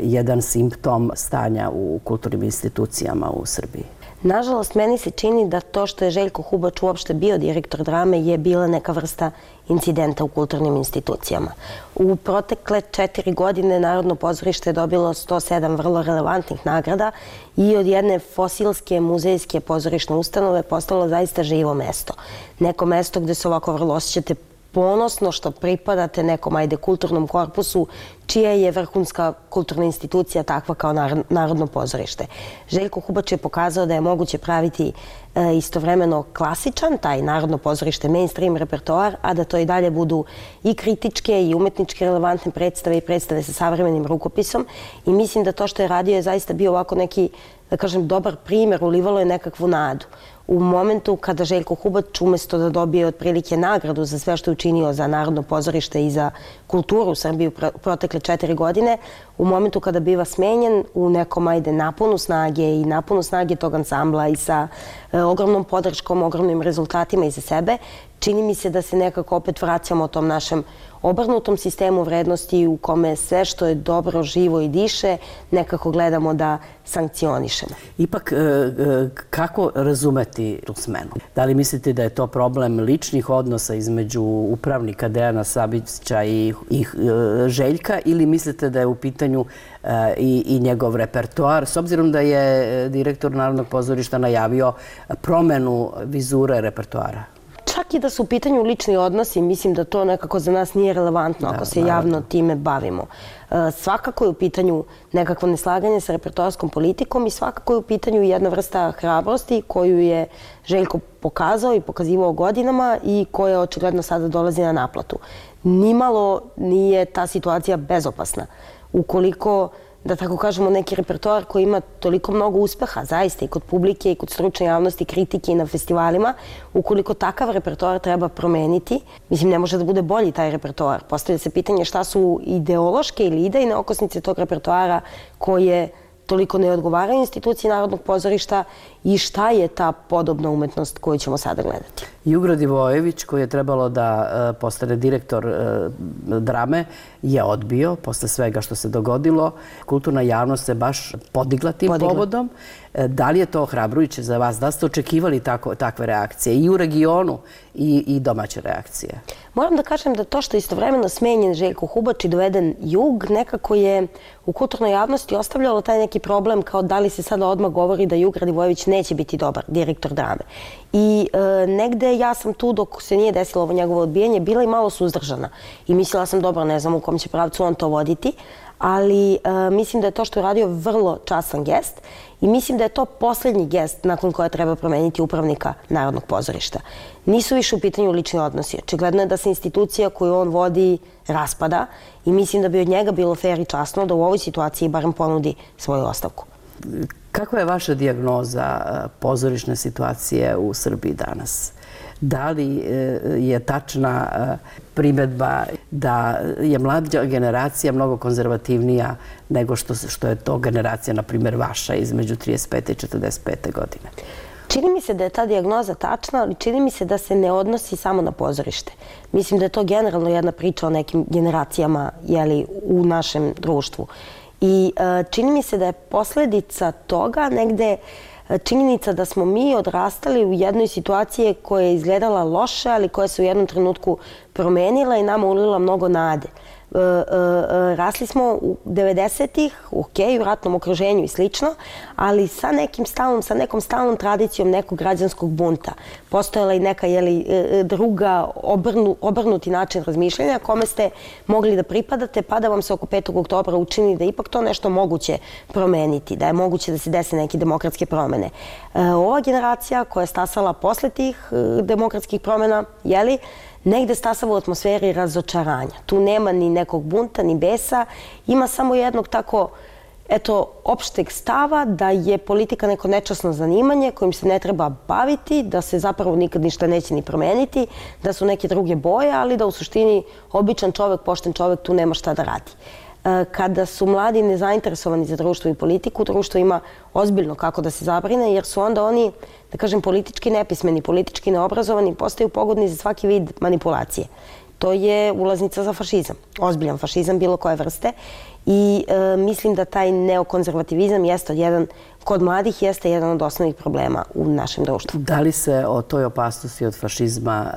jedan simptom stanja u kulturnim institucijama u Srbiji? Nažalost, meni se čini da to što je Željko Hubač uopšte bio direktor drame je bila neka vrsta incidenta u kulturnim institucijama. U protekle 4 godine Narodno pozorište je dobilo 107 vrlo relevantnih nagrada i od jedne fosilske muzejske pozorišne ustanove postalo zaista živo mesto. Neko mesto gde se ovako vrlo osjećate ponosno što pripadate nekom kulturnom korpusu čija je vrhunska kulturna institucija takva kao Narodno pozorište. Željko Hubač je pokazao da je moguće praviti istovremeno klasičan, taj Narodno pozorište, mainstream repertoar, a da to i dalje budu i kritičke i umetničke relevantne predstave i predstave sa savremenim rukopisom. I mislim da to što je radio je zaista bio ovako neki, da kažem, dobar primjer, ulivalo je nekakvu nadu. U momentu kada Željko Hubač umjesto da dobije otprilike nagradu za sve što je učinio za Narodno pozorište i za kulturu u Srbiji u protekle 4 godine, u momentu kada biva smenjen u nekom naponu snage i naponu snage tog ansambla i sa ogromnom podrškom, ogromnim rezultatima iza sebe, čini mi se da se nekako opet vraćamo tom našem obrnutom sistemu vrednosti u kome sve što je dobro, živo i diše nekako gledamo da sankcionišemo. Ipak, kako razumeti tu smenu? Da li mislite da je to problem ličnih odnosa između upravnika Dejana Sabića i Željka ili mislite da je u pitanju i njegov repertoar, s obzirom da je direktor Narodnog pozorišta najavio promenu vizure repertoara? Čak i da su u pitanju lični odnosi, mislim da to nekako za nas nije relevantno ako se javno time bavimo. Svakako je u pitanju nekakvo neslaganje sa repertoarskom politikom i svakako je u pitanju jedna vrsta hrabrosti koju je Željko pokazao i pokazivao godinama i koja očigledno sada dolazi na naplatu. Nimalo nije ta situacija bezopasna. Ukoliko, da tako kažemo, neki repertoar koji ima toliko mnogo uspeha, zaista i kod publike i kod stručne javnosti, kritike i na festivalima, ukoliko takav repertoar treba promeniti, mislim, ne može da bude bolji taj repertoar. Postavlja se pitanje šta su ideološke ili idejne okosnice tog repertoara koje toliko ne odgovaraju instituciji Narodnog pozorišta i šta je ta podobna umetnost koju ćemo sada gledati. Jugo Divojević, koji je trebalo da postane direktor drame, je odbio posle svega što se dogodilo. Kulturna javnost se baš podigla tim povodom. Da li je to ohrabrujuće za vas? Da ste očekivali takve reakcije i u regionu i domaće reakcije? Moram da kažem da to što je istovremeno smenjen Željko Hubač i doveden Jug, nekako je u kulturnoj javnosti ostavljalo taj neki problem kao da li se sada odmah govori da Jug Radivojević neće biti dobar direktor drame. I negde ja sam tu dok se nije desilo ovo njegovo odbijanje bila i malo suzdržana. I mislila sam, dobro, ne znam u kom će pravcu on to voditi, ali mislim da je to što je radio vrlo častan gest i mislim da je to posljednji gest nakon koja treba promeniti upravnika Narodnog pozorišta. Nisu više u pitanju lični odnosi. Očigledno je da se institucija koju on vodi raspada i mislim da bi od njega bilo fair i časno da u ovoj situaciji barem ponudi svoju ostavku. Kakva je vaša dijagnoza pozorišne situacije u Srbiji danas? Da li je tačna primjedba da je mlađa generacija mnogo konzervativnija nego što je to generacija, na primjer, vaša između 35. i 45. godine? Čini mi se da je ta dijagnoza tačna, ali čini mi se da se ne odnosi samo na pozorište. Mislim da je to generalno jedna priča o nekim generacijama u našem društvu. I čini mi se da je posljedica toga negde činjenica da smo mi odrastali u jednoj situaciji koja je izgledala loše, ali koja se u jednom trenutku promenila i nama ulila mnogo nade. Rasli smo u 90-ih, u ratnom okruženju i slično, ali sa nekom stalnom tradicijom nekog građanskog bunta. Postojala i neka druga obrnuti način razmišljanja kome ste mogli da pripadate, pa da vam se oko 5. oktobra učini da ipak to nešto moguće promeniti, da je moguće da se dese neke demokratske promene. Ova generacija koja je stasala posle tih demokratskih promena, negde stasava u atmosferi razočaranja. Tu nema ni nekog bunta, ni besa. Ima samo jednog tako, opšteg stava da je politika neko nečasno zanimanje kojim se ne treba baviti, da se zapravo nikad ništa neće ni promeniti, da su neke druge boje, ali da u suštini običan čovek, pošten čovek tu nema šta da radi. Kada su mladi nezainteresovani za društvo i politiku, društvo ima ozbiljno kako da se zabrine, jer su onda oni, da kažem, politički nepismeni, politički neobrazovani, postaju pogodni za svaki vid manipulacije. To je ulaznica za fašizam, ozbiljan fašizam bilo koje vrste i mislim da taj neokonzervativizam kod mladih jeste jedan od osnovnih problema u našem društvu. Da li se o toj opasnosti od fašizma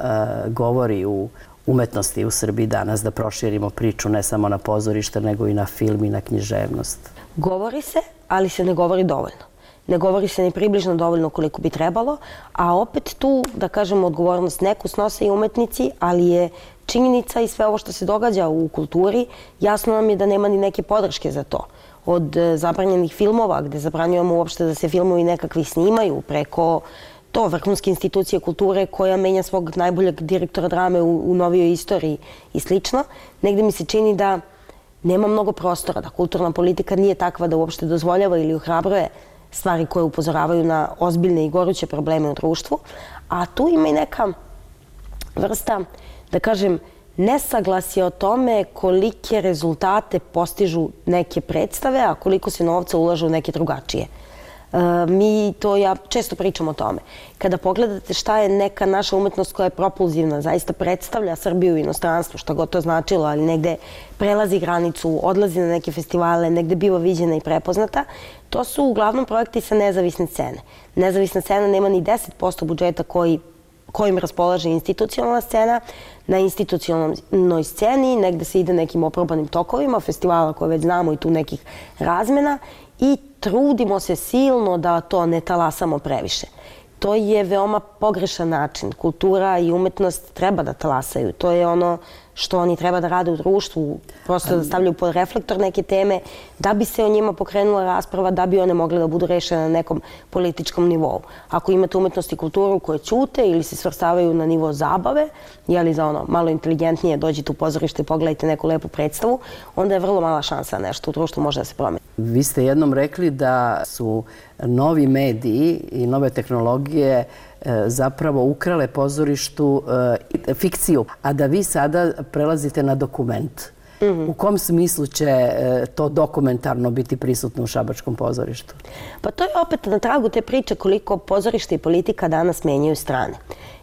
govori u umetnosti u Srbiji danas, da proširimo priču ne samo na pozorište, nego i na film i na književnost? Govori se, ali se ne govori dovoljno. Ne govori se ni približno dovoljno koliko bi trebalo, a opet tu, da kažem, odgovornost neku snose i umetnici, ali je činjenica i sve ovo što se događa u kulturi, jasno nam je da nema ni neke podrške za to. Od zabranjenih filmova, gde zabranjujemo uopšte da se filmovi nekakvi snimaju, preko to vrhunske institucije kulture koja menja svog najboljeg direktora drame u novijoj istoriji i slično. Negde mi se čini da nema mnogo prostora, da kulturna politika nije takva da uopšte dozvoljava ili ohrabruje stvari koje upozoravaju na ozbiljne i goruće probleme u društvu. A tu ima i neka vrsta, da kažem, nesaglasje o tome kolike rezultate postižu neke predstave, a koliko se novca ulaže u neke drugačije. Ja često pričam o tome. Kada pogledate šta je neka naša umetnost koja je propulzivna, zaista predstavlja Srbiju u inostranstvu, šta god to značilo, ali negde prelazi granicu, odlazi na neke festivale, negde biva viđena i prepoznata, to su uglavnom projekti sa nezavisne scene. Nezavisna scena nema ni 10% budžeta kojim raspolaže institucionalna scena. Na institucionalnoj sceni negde se ide nekim oprobanim tokovima, festivala koje već znamo i tu nekih razmena i trudimo se silno da to ne talasamo previše. To je veoma pogrešan način. Kultura i umetnost treba da talasaju. To je ono što oni treba da rade u društvu, prosto da stavljaju pod reflektor neke teme, da bi se o njima pokrenula rasprava, da bi one mogle da budu rešene na nekom političkom nivou. Ako imate umetnost i kulturu koje ćute ili se svrstavaju na nivo zabave, za ono malo inteligentnije dođite u pozorište i pogledajte neku lepu predstavu, onda je vrlo mala šansa da nešto u društvu može da se promeni. Vi ste jednom rekli da su novi mediji i nove tehnologije zapravo ukrale pozorištu fikciju, a da vi sada prelazite na dokument. U kom smislu će to dokumentarno biti prisutno u šabačkom pozorištu? Pa to je opet na tragu te priče koliko pozorište i politika danas menjaju strane.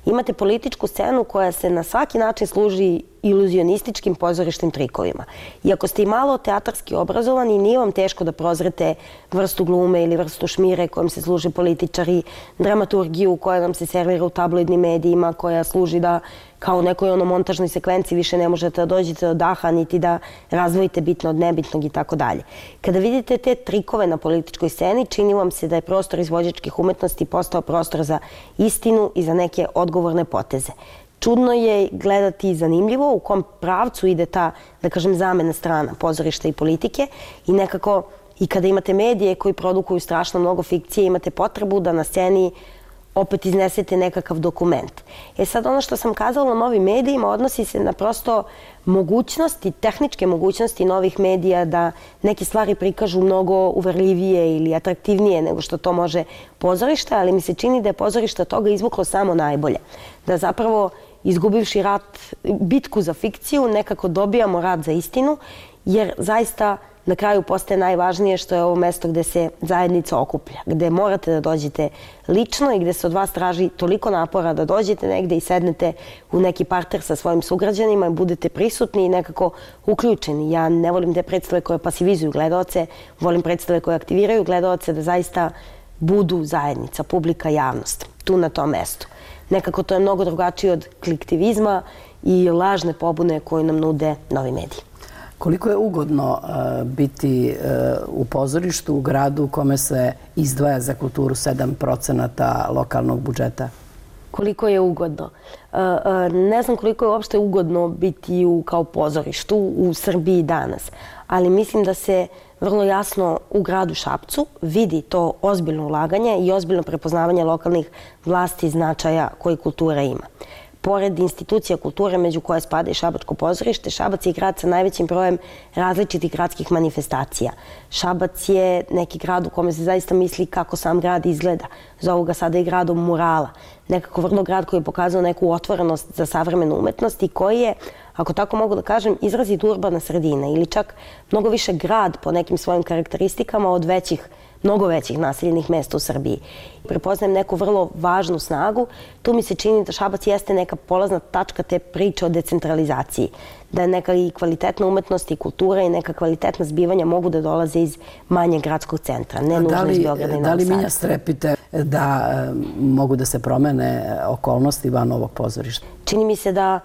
Imate političku scenu koja se na svaki način služi iluzionističkim pozorišnim trikovima. I ako ste i malo teatarski obrazovani, nije vam teško da prozrete vrstu glume ili vrstu šmire kojom se služe političari, dramaturgiju koja nam se servira u tabloidnim medijima, koja služi da kao u nekoj montažnoj sekvenciji više ne možete da dođete do daha, niti da razdvojite bitno od nebitnog i tako dalje. Kada vidite te trikove na političkoj sceni, čini vam se da je prostor izvođačkih umetnosti postao prostor za istinu i za neke odgovore odgovorne poteze. Čudno je gledati zanimljivo u kom pravcu ide ta, da kažem, zamena strana pozorišta i politike i nekako i kada imate medije koji produkuju strašno mnogo fikcije, imate potrebu da na sceni opet iznesete nekakav dokument. Sad ono što sam kazala o novim medijima odnosi se na prosto mogućnosti, tehničke mogućnosti novih medija da neke stvari prikažu mnogo uverljivije ili atraktivnije nego što to može pozorište, ali mi se čini da je pozorište od toga izvuklo samo najbolje. Da zapravo izgubivši rat, bitku za fikciju, nekako dobijamo rat za istinu, jer zaista na kraju postaje najvažnije što je ovo mesto gde se zajednica okuplja, gde morate da dođete lično i gde se od vas traži toliko napora da dođete negde i sednete u neki parter sa svojim sugrađanima i budete prisutni i nekako uključeni. Ja ne volim te predstave koje pasivizuju gledaoce, volim predstave koje aktiviraju gledaoce da zaista budu zajednica, publika, javnost, tu na tom mestu. Nekako to je mnogo drugačije od kliktivizma i lažne pobune koje nam nude novi mediji. Koliko je ugodno biti u pozorištu u gradu u kome se izdvaja za kulturu 7% lokalnog budžeta? Koliko je ugodno? Ne znam koliko je uopšte ugodno biti kao pozorištu u Srbiji danas, ali mislim da se vrlo jasno u gradu Šapcu vidi to ozbiljno ulaganje i ozbiljno prepoznavanje lokalnih vlasti i značaja koji kultura ima. Pored institucija kulture, među koje spada i Šabačko pozorište, Šabac je grad sa najvećim brojem različitih gradskih manifestacija. Šabac je neki grad u kome se zaista misli kako sam grad izgleda. Zovu ga sada i gradom murala. Nekako vrlo grad koji je pokazao neku otvorenost za savremenu umetnost i koji je, ako tako mogu da kažem, izrazit urbana sredina ili čak mnogo više grad po nekim svojim karakteristikama od mnogo većih naseljenih mesta u Srbiji. Prepoznajem neku vrlo važnu snagu. Tu mi se čini da Šabac jeste neka polazna tačka te priče o decentralizaciji. Da neka i kvalitetna umetnost i kultura i neka kvalitetna zbivanja mogu da dolaze iz manjeg gradskog centra, ne nužno iz Beograda i Novog Sada. Da li Minja strepite da mogu da se promene okolnosti van ovog pozorišta? Čini mi se da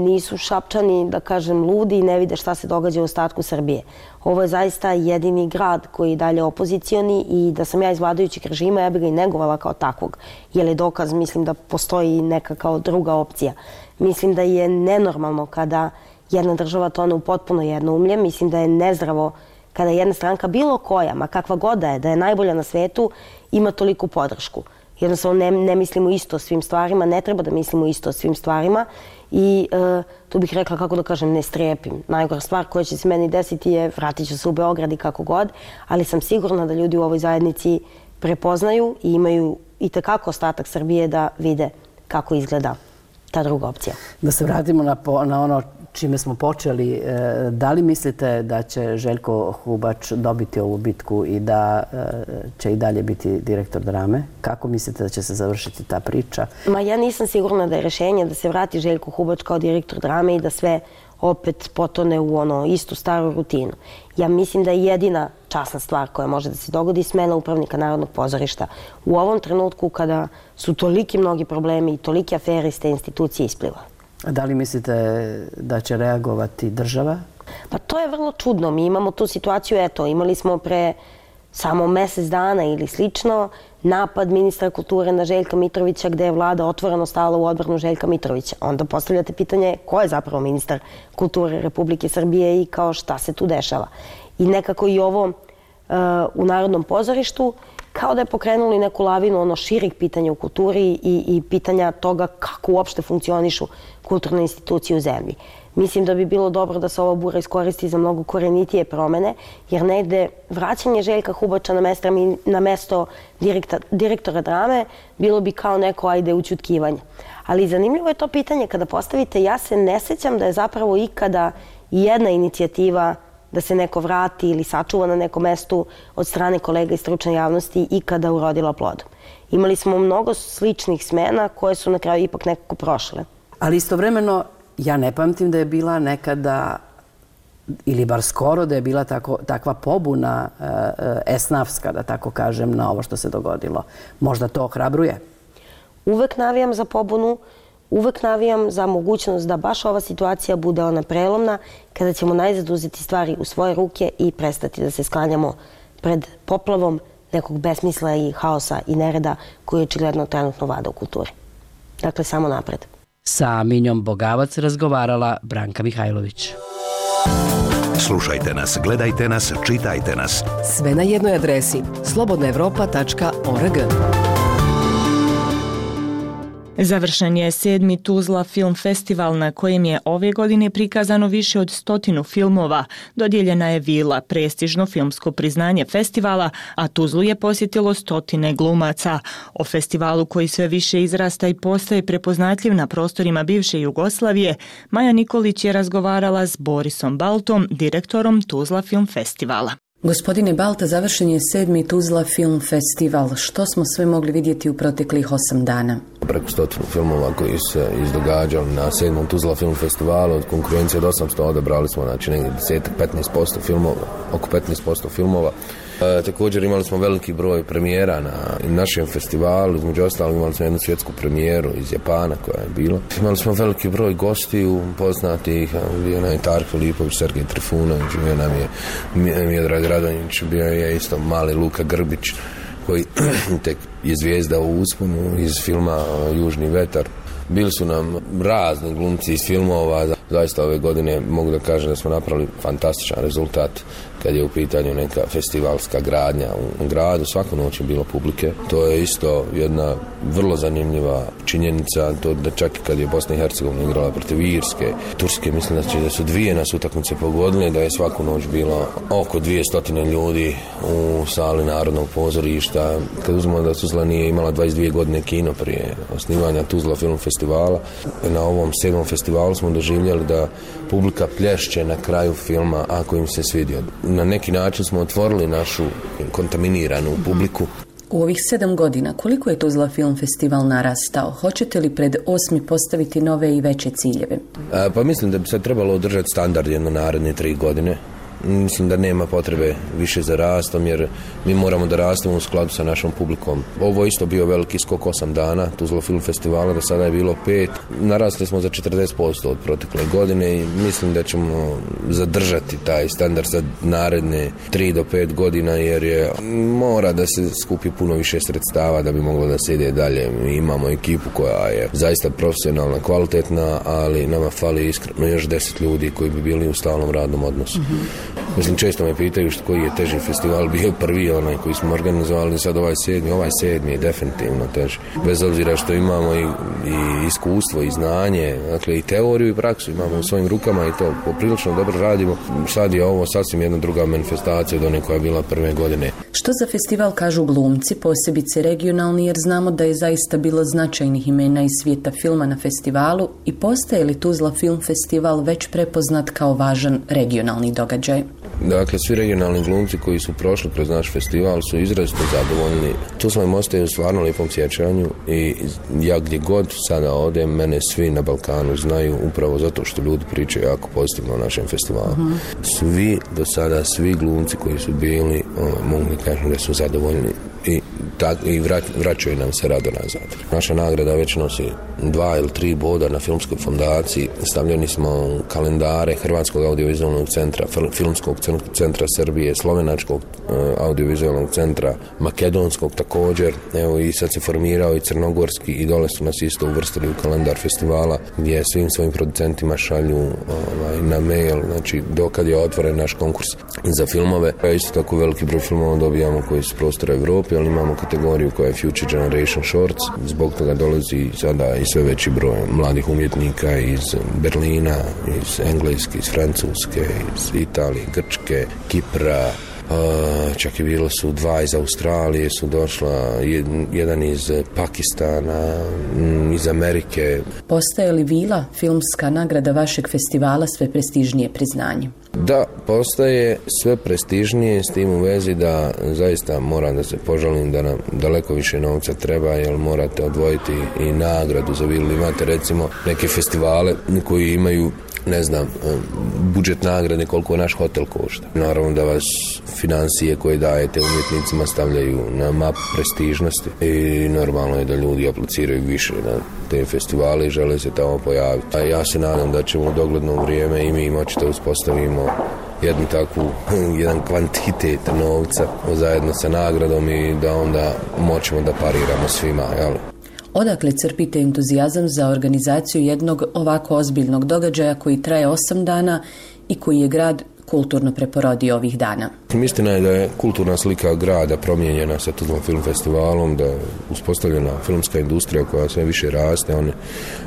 nisu Šapčani, da kažem, ludi i ne vide šta se događa u ostatku Srbije. Ovo je zaista jedini grad koji je dalje opozicioni i da sam ja iz vladajućeg režima, ja bih ga i negovala kao takvog. Jer je dokaz, mislim da postoji neka kao druga opcija. Mislim da je nenormalno kada jedna država tone u potpuno jednoumlje. Mislim da je nezdravo kada jedna stranka, bilo koja, ma kakva god da je najbolja na svetu, ima toliku podršku. Jednostavno ne mislimo isto o svim stvarima, ne treba da mislimo isto o svim stvarima i tu bih rekla, kako da kažem, ne strepim. Najgora stvar koja će se meni desiti je vratit ću se u Beograd i kako god, ali sam sigurna da ljudi u ovoj zajednici prepoznaju i imaju i tekako ostatak Srbije da vide kako izgleda ta druga opcija. Da se vratimo na ono čime smo počeli, da li mislite da će Željko Hubač dobiti ovu bitku i da će i dalje biti direktor drame? Kako mislite da će se završiti ta priča? Ja nisam sigurna da je rešenje da se vrati Željko Hubač kao direktor drame i da sve opet potone u istu staru rutinu. Ja mislim da je jedina časna stvar koja može da se dogodi smena upravnika Narodnog pozorišta. U ovom trenutku kada su toliki mnogi problemi i tolike afere iz te institucije isplivale. Da li mislite da će reagovati država? Pa to je vrlo čudno. Mi imamo tu situaciju, imali smo pre samo mesec dana ili slično napad ministra kulture na Željka Mitrovića gde je vlada otvoreno stala u odbranu Željka Mitrovića. Onda postavljate pitanje ko je zapravo ministar kulture Republike Srbije i kao šta se tu dešava. I nekako i ovo u Narodnom pozorištu kao da je pokrenuli neku lavinu širih pitanja u kulturi i pitanja toga kako uopšte funkcionišu kulturne institucije u zemlji. Mislim da bi bilo dobro da se ova bura iskoristi za mnogo korenitije promene, jer negde vraćanje Željka Hubača na mesto direktora drame bilo bi kao neko ućutkivanje. Ali zanimljivo je to pitanje kada postavite, ja se ne sećam da je zapravo ikada jedna inicijativa da se neko vrati ili sačuva na nekom mestu od strane kolega iz stručne javnosti ikada urodila plodom. Imali smo mnogo sličnih smena koje su na kraju ipak nekako prošle. Ali istovremeno, ja ne pamtim da je bila nekada, ili bar skoro da je bila takva pobuna esnafska, da tako kažem, na ovo što se dogodilo. Možda to ohrabruje? Uvek navijam za pobunu, uvek navijam za mogućnost da baš ova situacija bude ona prelomna, kada ćemo najzad uzeti stvari u svoje ruke i prestati da se sklanjamo pred poplavom nekog besmisla i haosa i nereda koji očigledno trenutno vlada u kulturi. Dakle, samo napred. Sa Minjom Bogavac razgovarala Branka Mihajlović. Slušajte nas, gledajte nas, čitajte nas. Sve na jednoj adresi slobodnaevropa.org. Završen je 7. Tuzla film festival na kojem je ove godine prikazano više od 100 filmova. Dodijeljena je Vila, prestižno filmsko priznanje festivala, a Tuzlu je posjetilo 100 glumaca. O festivalu koji sve više izrasta i postaje prepoznatljiv na prostorima bivše Jugoslavije, Maja Nikolić je razgovarala s Borisom Baltom, direktorom Tuzla film festivala. Gospodine Balta, završen je 7. Tuzla film festival. Što smo sve mogli vidjeti u proteklih 8 dana? Preko 100 filmova koji se izdogađali na 7. Tuzla film festivalu. Od konkurencije od 800 odabrali smo negdje 10-15% filmova, oko 15% filmova. Također imali smo veliki broj premijera na našem festivalu, između ostalog imali smo jednu svjetsku premijeru iz Japana koja je bila. Imali smo veliki broj gostiju poznatih, bio nam je Tark Filipović, Sergej Trifunović, bio nam je Miodrag Radonjić, bio je isto mali Luka Grbić koji tek je zvijezda u usponu iz filma Južni vetar. Bili su nam razni glumci iz filmova. Zaista ove godine mogu da kažem da smo napravili fantastičan rezultat kad je u pitanju neka festivalska gradnja u gradu. Svaku noć je bilo publike. To je isto jedna vrlo zanimljiva činjenica. To da čak i kad je Bosna i Hercegovina igrala protiv Irske, Turske, mislim da su dvije nas utakmice pogodile, da je svaku noć bilo oko 200 ljudi u sali Narodnog pozorišta. Kad uzmemo da Tuzla nije imala 22 godine kino prije osnivanja Tuzla film festivala, na ovom 7. festivalu smo doživjeli da publika plješće na kraju filma ako im se svidio. Na neki način smo otvorili našu kontaminiranu publiku. U ovih 7 godina koliko je Tuzla film festival narastao? Hoćete li pred 8. postaviti nove i veće ciljeve? Pa mislim da bi se trebalo održati standard jedno naredne 3 godine. Mislim da nema potrebe više za rastom, jer mi moramo da rastemo u skladu sa našom publikom. Ovo je isto bio veliki skok 8 dana Tuzla film festivala, do sada je bilo 5. Narasli smo za 40% od protekle godine i mislim da ćemo zadržati taj standard za naredne 3 do 5 godina, jer je mora da se skupi puno više sredstava da bi moglo da se ide dalje. Mi imamo ekipu koja je zaista profesionalna, kvalitetna, ali nama fali iskreno još 10 ljudi koji bi bili u stalnom radnom odnosu. Mislim, često me pitaju koji je teži festival bio prvi, onaj koji smo organizovali, sad ovaj 7. je definitivno teži. Bez obzira što imamo i iskustvo i znanje, dakle i teoriju i praksu imamo u svojim rukama i to poprilično dobro radimo. Sad je ovo sasvim jedna druga manifestacija od one koja je bila prve godine. Što za festival kažu glumci, posebice regionalni, jer znamo da je zaista bilo značajnih imena iz svijeta filma na festivalu, i postaje li Tuzla film festival već prepoznat kao važan regionalni događaj? Dakle, svi regionalni glumci koji su prošli kroz naš festival su izrazito zadovoljni. Tu smo im ostaju u stvarno lijepom sjećanju i ja gdje god sada odem, mene svi na Balkanu znaju upravo zato što ljudi pričaju jako pozitivno o našem festivalu. Svi do sada, svi glumci koji su bili, mogu da kažem da su zadovoljni i vraćaju nam se rado nazad. Naša nagrada već nosi 2 ili 3 boda na filmskoj fondaciji. Stavljeni smo u kalendare Hrvatskog audiovizualnog centra, Filmskog centra Srbije, Slovenačkog audiovizualnog centra, Makedonskog također. Evo i sad se formirao i Crnogorski i dole su nas isto uvrstili u kalendar festivala gdje svim svojim producentima šalju na mail, znači dokad je otvoren naš konkurs za filmove. Isto tako veliki broj filmova dobijamo koji su prostora Evrope, ali imamo kategoriju koja je Future Generation Shorts. Zbog toga dolazi sada i sve veći broj mladih umjetnika iz Berlina, iz Engleske, iz Francuske, iz Italije, Grčke, Kipra. Čak je bilo su 2 iz Australije, su došla, jedan iz Pakistana, iz Amerike. Postaje li Vila, filmska nagrada vašeg festivala, sve prestižnije priznanje? Da, postaje sve prestižnije, s tim u vezi da zaista moram da se požalim da nam daleko više novca treba, jer morate odvojiti i nagradu za Vilu. Imate recimo neke festivale koji imaju, ne znam, budžet nagrade koliko naš hotel košta. Naravno da vas financije koje dajete umjetnicima stavljaju na mapu prestižnosti i normalno je da ljudi apliciraju više na te festivale i žele se tamo pojaviti. A ja se nadam da ćemo u dogledno vrijeme i mi moći da uspostavimo jedan kvantitet novca zajedno sa nagradom i da onda moćemo da pariramo svima, jel? Odakle crpite entuzijazam za organizaciju jednog ovako ozbiljnog događaja koji traje 8 dana i koji je grad kulturno preporodio ovih dana? Istina je da je kulturna slika grada promijenjena sa Tuzlom film festivalom, da je uspostavljena filmska industrija koja sve više raste, on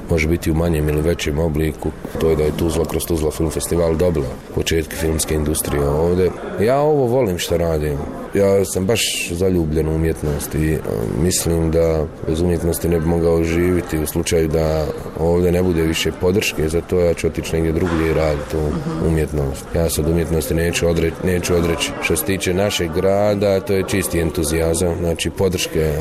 može biti u manjem ili većem obliku. To je da je Tuzla kroz Tuzla film festival dobila početke filmske industrije ovdje. Ja ovo volim što radim. Ja sam baš zaljubljen u umjetnost i mislim da bez umjetnosti ne bi mogao živjeti u slučaju da ovdje ne bude više podrške, zato ja ću otići negdje drugdje i raditi umjetnost. Ja se od umjetnosti neću odreći. Što se tiče našeg grada, to je čisti entuzijazam, znači podrške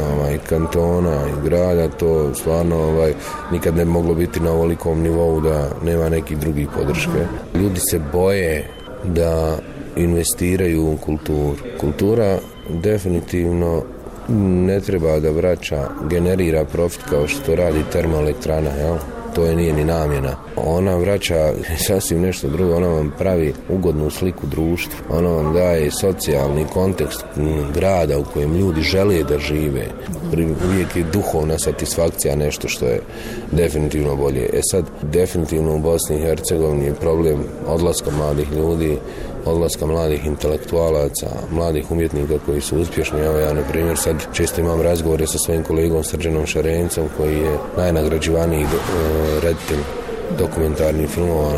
kantona i grada, to stvarno nikad ne bi moglo biti na ovolikom nivou da nema nekih drugih podrške. Ljudi se boje da investiraju u kulturu. Kultura definitivno ne treba da vraća, generira profit kao što to radi termoelektrana, jel? To je nije ni namjena. Ona vraća sasvim nešto drugo, ona vam pravi ugodnu sliku društva, ona vam daje socijalni kontekst grada u kojem ljudi žele da žive. Uvijek je duhovna satisfakcija nešto što je definitivno bolje. Sad, definitivno u Bosni i Hercegovini je problem odlaska mladih ljudi, odlaska mladih intelektualaca, mladih umjetnika koji su uspješni. Evo ja, na primjer, sad često imam razgovore sa svojim kolegom Srđanom Šarencom, koji je najnagrađivaniji reditelj dokumentarnih filmova.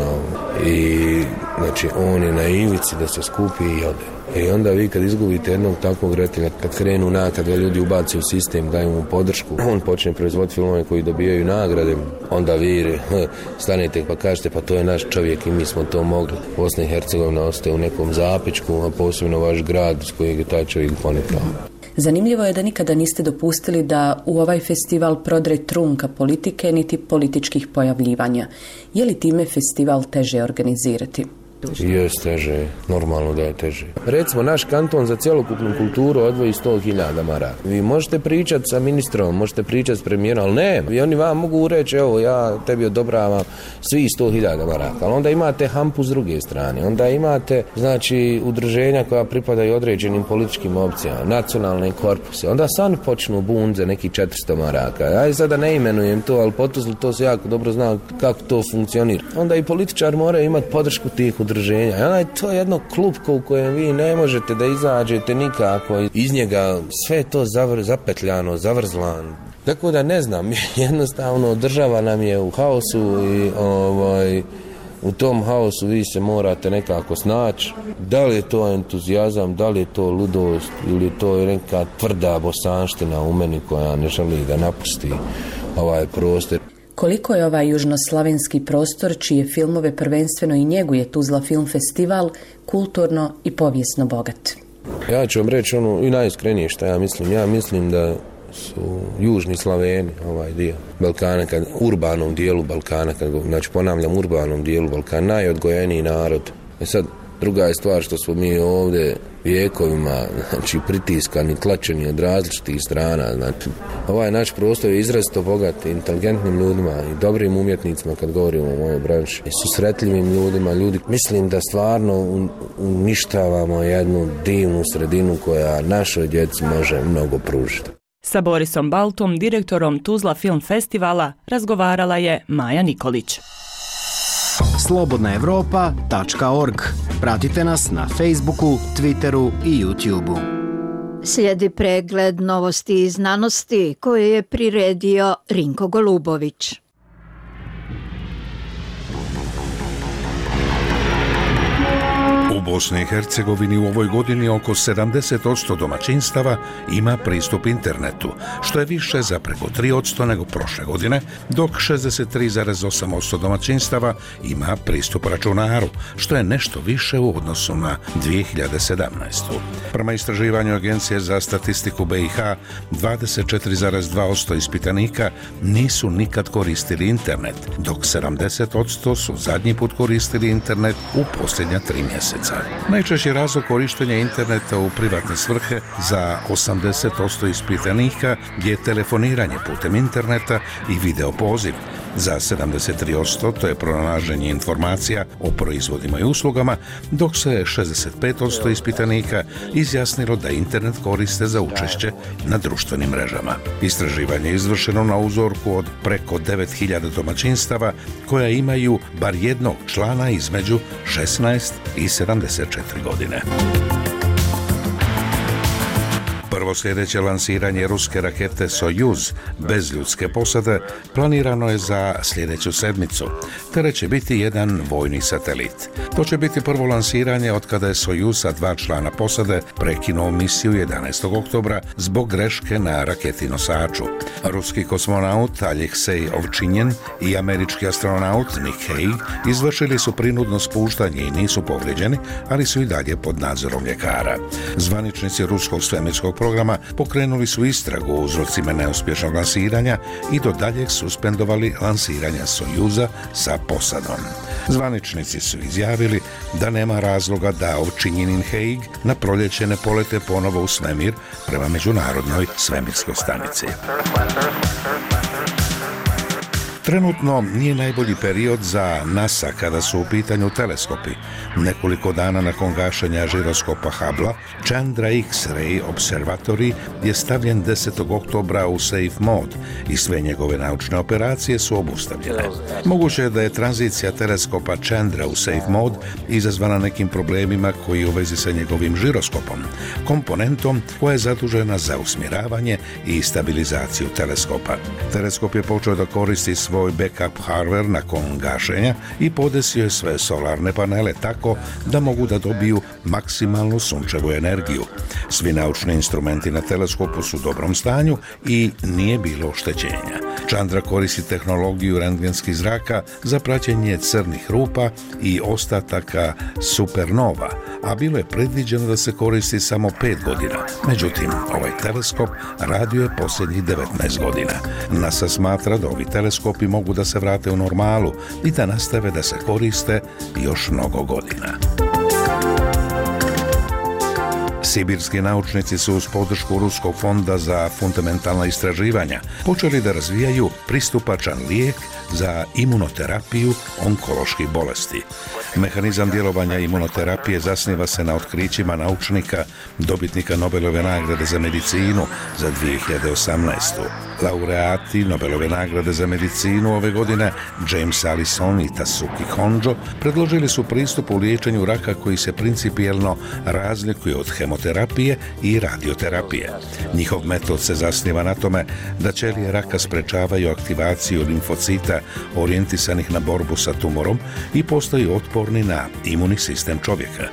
I znači on je na ivici da se skupi i ode. I onda vi kad izgubite jednog takvog reditelja, kad krenu kad ga ljudi ubaci u sistem, daju mu podršku, on počne proizvoditi filmove koji dobijaju nagrade, onda vi stanete pa kažete pa to je naš čovjek i mi smo to mogli. Bosna i Hercegovina ostaje u nekom zapečku, a posebno vaš grad s kojeg je taj čovjek ponikao. Zanimljivo je da nikada niste dopustili da u ovaj festival prodre trunka politike niti političkih pojavljivanja. Je li time festival teže organizirati? Jes teže, normalno da je teže. Recimo, naš kanton za cjelokupnu kulturu odvoji 100.000 maraka. Vi možete pričati sa ministrom, možete pričati s premijerom, ali ne. I oni vam mogu reći, evo, ja tebi odobravam svi 100.000 maraka. Ali onda imate hampu s druge strane. Onda imate, znači, udruženja koja pripadaju određenim političkim opcijama, nacionalne korpuse. Onda sami počnu bunze neki 400 maraka. Ja sada ne imenujem to, ali potuzli to se jako dobro zna kako to funkcionira. Onda i političar mora imati podršku tih udruženja. To je jedno klupko u kojem vi ne možete da izađete nikako. Iz njega sve je to zapetljano, zavrzlan. Tako da ne znam, jednostavno država nam je u haosu i u tom haosu vi se morate nekako snaći. Da li je to entuzijazam, da li je to ludost ili je to neka tvrda bosanština u meni koja ne želi da napusti ovaj prostor. Koliko je ovaj južnoslavenski prostor, čije filmove prvenstveno i njeguje Tuzla film festival, kulturno i povijesno bogat? Ja ću vam reći i najiskrenije što ja mislim. Ja mislim da su južni Slaveni, ovaj dio Balkana, urbanom dijelu Balkana, znači ponavljam, urbanom dijelu Balkana, najodgojeniji narod. Sad, druga je stvar što smo mi ovdje vijekovima, znači, pritiskani, tlačeni od različitih strana. Znači, ovaj naš prostor je izrazito bogat inteligentnim ljudima i dobrim umjetnicima, kad govorimo o mojoj branši, i susretljivim ljudima. Mislim da stvarno uništavamo jednu divnu sredinu koja našoj djeci može mnogo pružiti. Sa Borisom Baltom, direktorom Tuzla film festivala, razgovarala je Maja Nikolić. slobodnaevropa.org. Pratite nas na Facebooku, Twitteru i YouTubeu. Slijedi pregled novosti i znanosti koje je priredio Rinko Golubović. U Bosni i Hercegovini u ovoj godini oko 70% domaćinstava ima pristup internetu, što je više za preko 3% nego prošle godine, dok 63,8% domaćinstava ima pristup računaru, što je nešto više u odnosu na 2017. Prema istraživanju Agencije za statistiku BiH, 24,2% ispitanika nisu nikad koristili internet, dok 70% su zadnji put koristili internet u posljednja 3 mjeseca. Najčešći razlog korištenja interneta u privatne svrhe za 80% ispitanika je telefoniranje putem interneta i video poziv. Za 73% to je pronalaženje informacija o proizvodima i uslugama, dok se 65% ispitanika izjasnilo da internet koriste za učešće na društvenim mrežama. Istraživanje je izvršeno na uzorku od preko 9000 domaćinstava koja imaju bar jednog člana između 16 i 74 godine. Prvo sljedeće lansiranje ruske rakete Sojuz bez ljudske posade planirano je za sljedeću sedmicu. Tere će biti jedan vojni satelit. To će biti prvo lansiranje od kada je Sojuz sa 2 člana posade prekinuo misiju 11. oktobra zbog greške na raketi nosaču. Ruski kosmonaut Aleksej Ovčinjen i američki astronaut Nick Hague izvršili su prinudno spuštanje i nisu povrijeđeni, ali su i dalje pod nadzorom ljekara. Zvaničnici ruskog svemirskog programa pokrenuli su istragu o uzrocima neuspješnog lansiranja i do daljeg suspendovali lansiranja Sojuza sa posadom. Zvaničnici su izjavili da nema razloga da Ovčinjen i Hague na proljeće ne polete ponovo u svemir prema Međunarodnoj svemirskoj stanici. Trenutno nije najbolji period za NASA kada su u pitanju teleskopi. Nekoliko dana nakon gašenja žiroskopa Hubble, Chandra X-ray Observatory je stavljen 10. oktobra u safe mode i sve njegove naučne operacije su obustavljene. Moguće je da je tranzicija teleskopa Chandra u safe mode izazvana nekim problemima koji u vezi sa njegovim žiroskopom, komponentom koja je zadužena za usmjeravanje i stabilizaciju teleskopa. Teleskop je počeo da koristi svoj backup hardware nakon gašenja i podesio je sve solarne panele tako da mogu da dobiju maksimalnu sunčevu energiju. Svi naučni instrumenti na teleskopu su u dobrom stanju i nije bilo oštećenja. Chandra koristi tehnologiju rentgenskih zraka za praćenje crnih rupa i ostataka supernova, a bilo je predviđeno da se koristi samo 5 godina. Međutim, ovaj teleskop radio je posljednjih 19 godina. NASA smatra da ovi teleskopi mogu da se vrate u normalu i da nastave da se koriste još mnogo godina. Sibirski naučnici su uz podršku Ruskog fonda za fundamentalna istraživanja počeli da razvijaju pristupačan lijek za imunoterapiju onkoloških bolesti. Mehanizam djelovanja imunoterapije zasniva se na otkrićima naučnika, dobitnika Nobelove nagrade za medicinu za 2018. Laureati Nobelove nagrade za medicinu ove godine, James Allison i Tasuki Honjo, predložili su pristup u liječenju raka koji se principijelno razlikuje od hemoterapije i radioterapije. Njihov metod se zasniva na tome da ćelije raka sprečavaju aktivaciju limfocita orijentisanih na borbu sa tumorom i postaju otporni na imunni sistem čovjeka.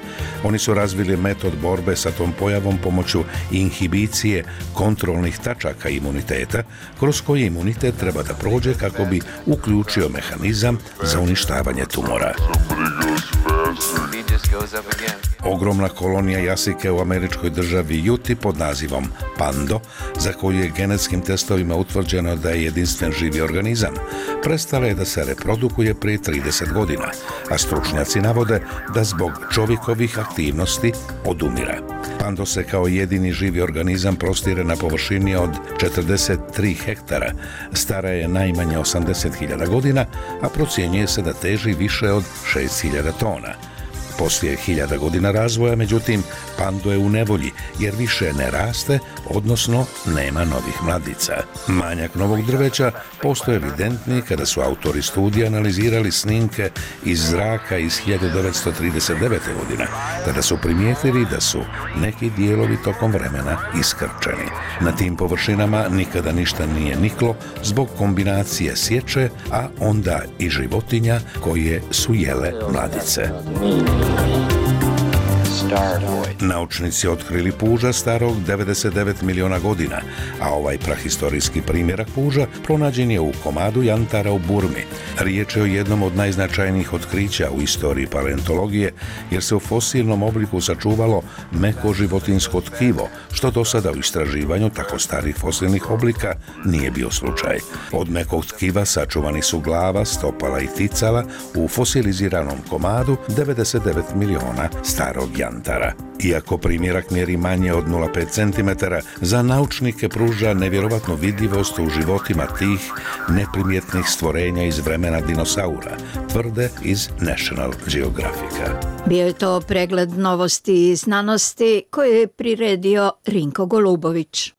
Oni su razvili metod borbe sa tom pojavom pomoću inhibicije kontrolnih tačaka imuniteta, kroz koji imunitet treba da prođe kako bi uključio mehanizam za uništavanje tumora. Ogromna kolonija jasike u američkoj državi Juti pod nazivom Pando, za koju je genetskim testovima utvrđeno da je jedinstven živi organizam, prestala je da se reprodukuje prije 30 godina, a stručnjaci navode da zbog čovjekovih aktivnosti odumira. Pando se kao jedini živi organizam prostire na površini od 43 hektara, stara je najmanje 80.000 godina, a procjenjuje se da teži više od 6.000 tona. Poslije 1000 godina razvoja, međutim, Pando je u nevolji jer više ne raste, odnosno nema novih mladica. Manjak novog drveća postoje evidentni kada su autori studija analizirali snimke iz zraka iz 1939. godine, tada su primijetili da su neki dijelovi tokom vremena iskrčeni. Na tim površinama nikada ništa nije niklo zbog kombinacije sječe, a onda i životinja koje su jele mladice. Naučnici otkrili puža starog 99 miliona godina, a ovaj prahistorijski primjerak puža pronađen je u komadu jantara u Burmi. Riječ je o jednom od najznačajnijih otkrića u istoriji paleontologije, jer se u fosilnom obliku sačuvalo meko životinjsko tkivo, što do sada u istraživanju tako starih fosilnih oblika nije bio slučaj. Od mekog tkiva sačuvani su glava, stopala i ticala u fosiliziranom komadu 99 miliona starog jantara. Alcantara. Iako primjerak mjeri manje od 0,5 cm, za naučnike pruža nevjerovatnu vidljivost u životima tih neprimjetnih stvorenja iz vremena dinosaura, tvrde iz National Geographica. Bio je to pregled novosti i znanosti koje je priredio Rinko Golubović.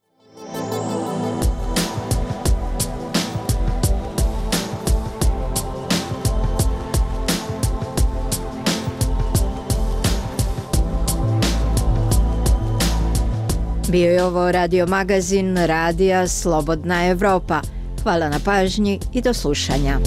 Bio je ovo radio magazin Radija Slobodna Evropa. Hvala na pažnji i do slušanja.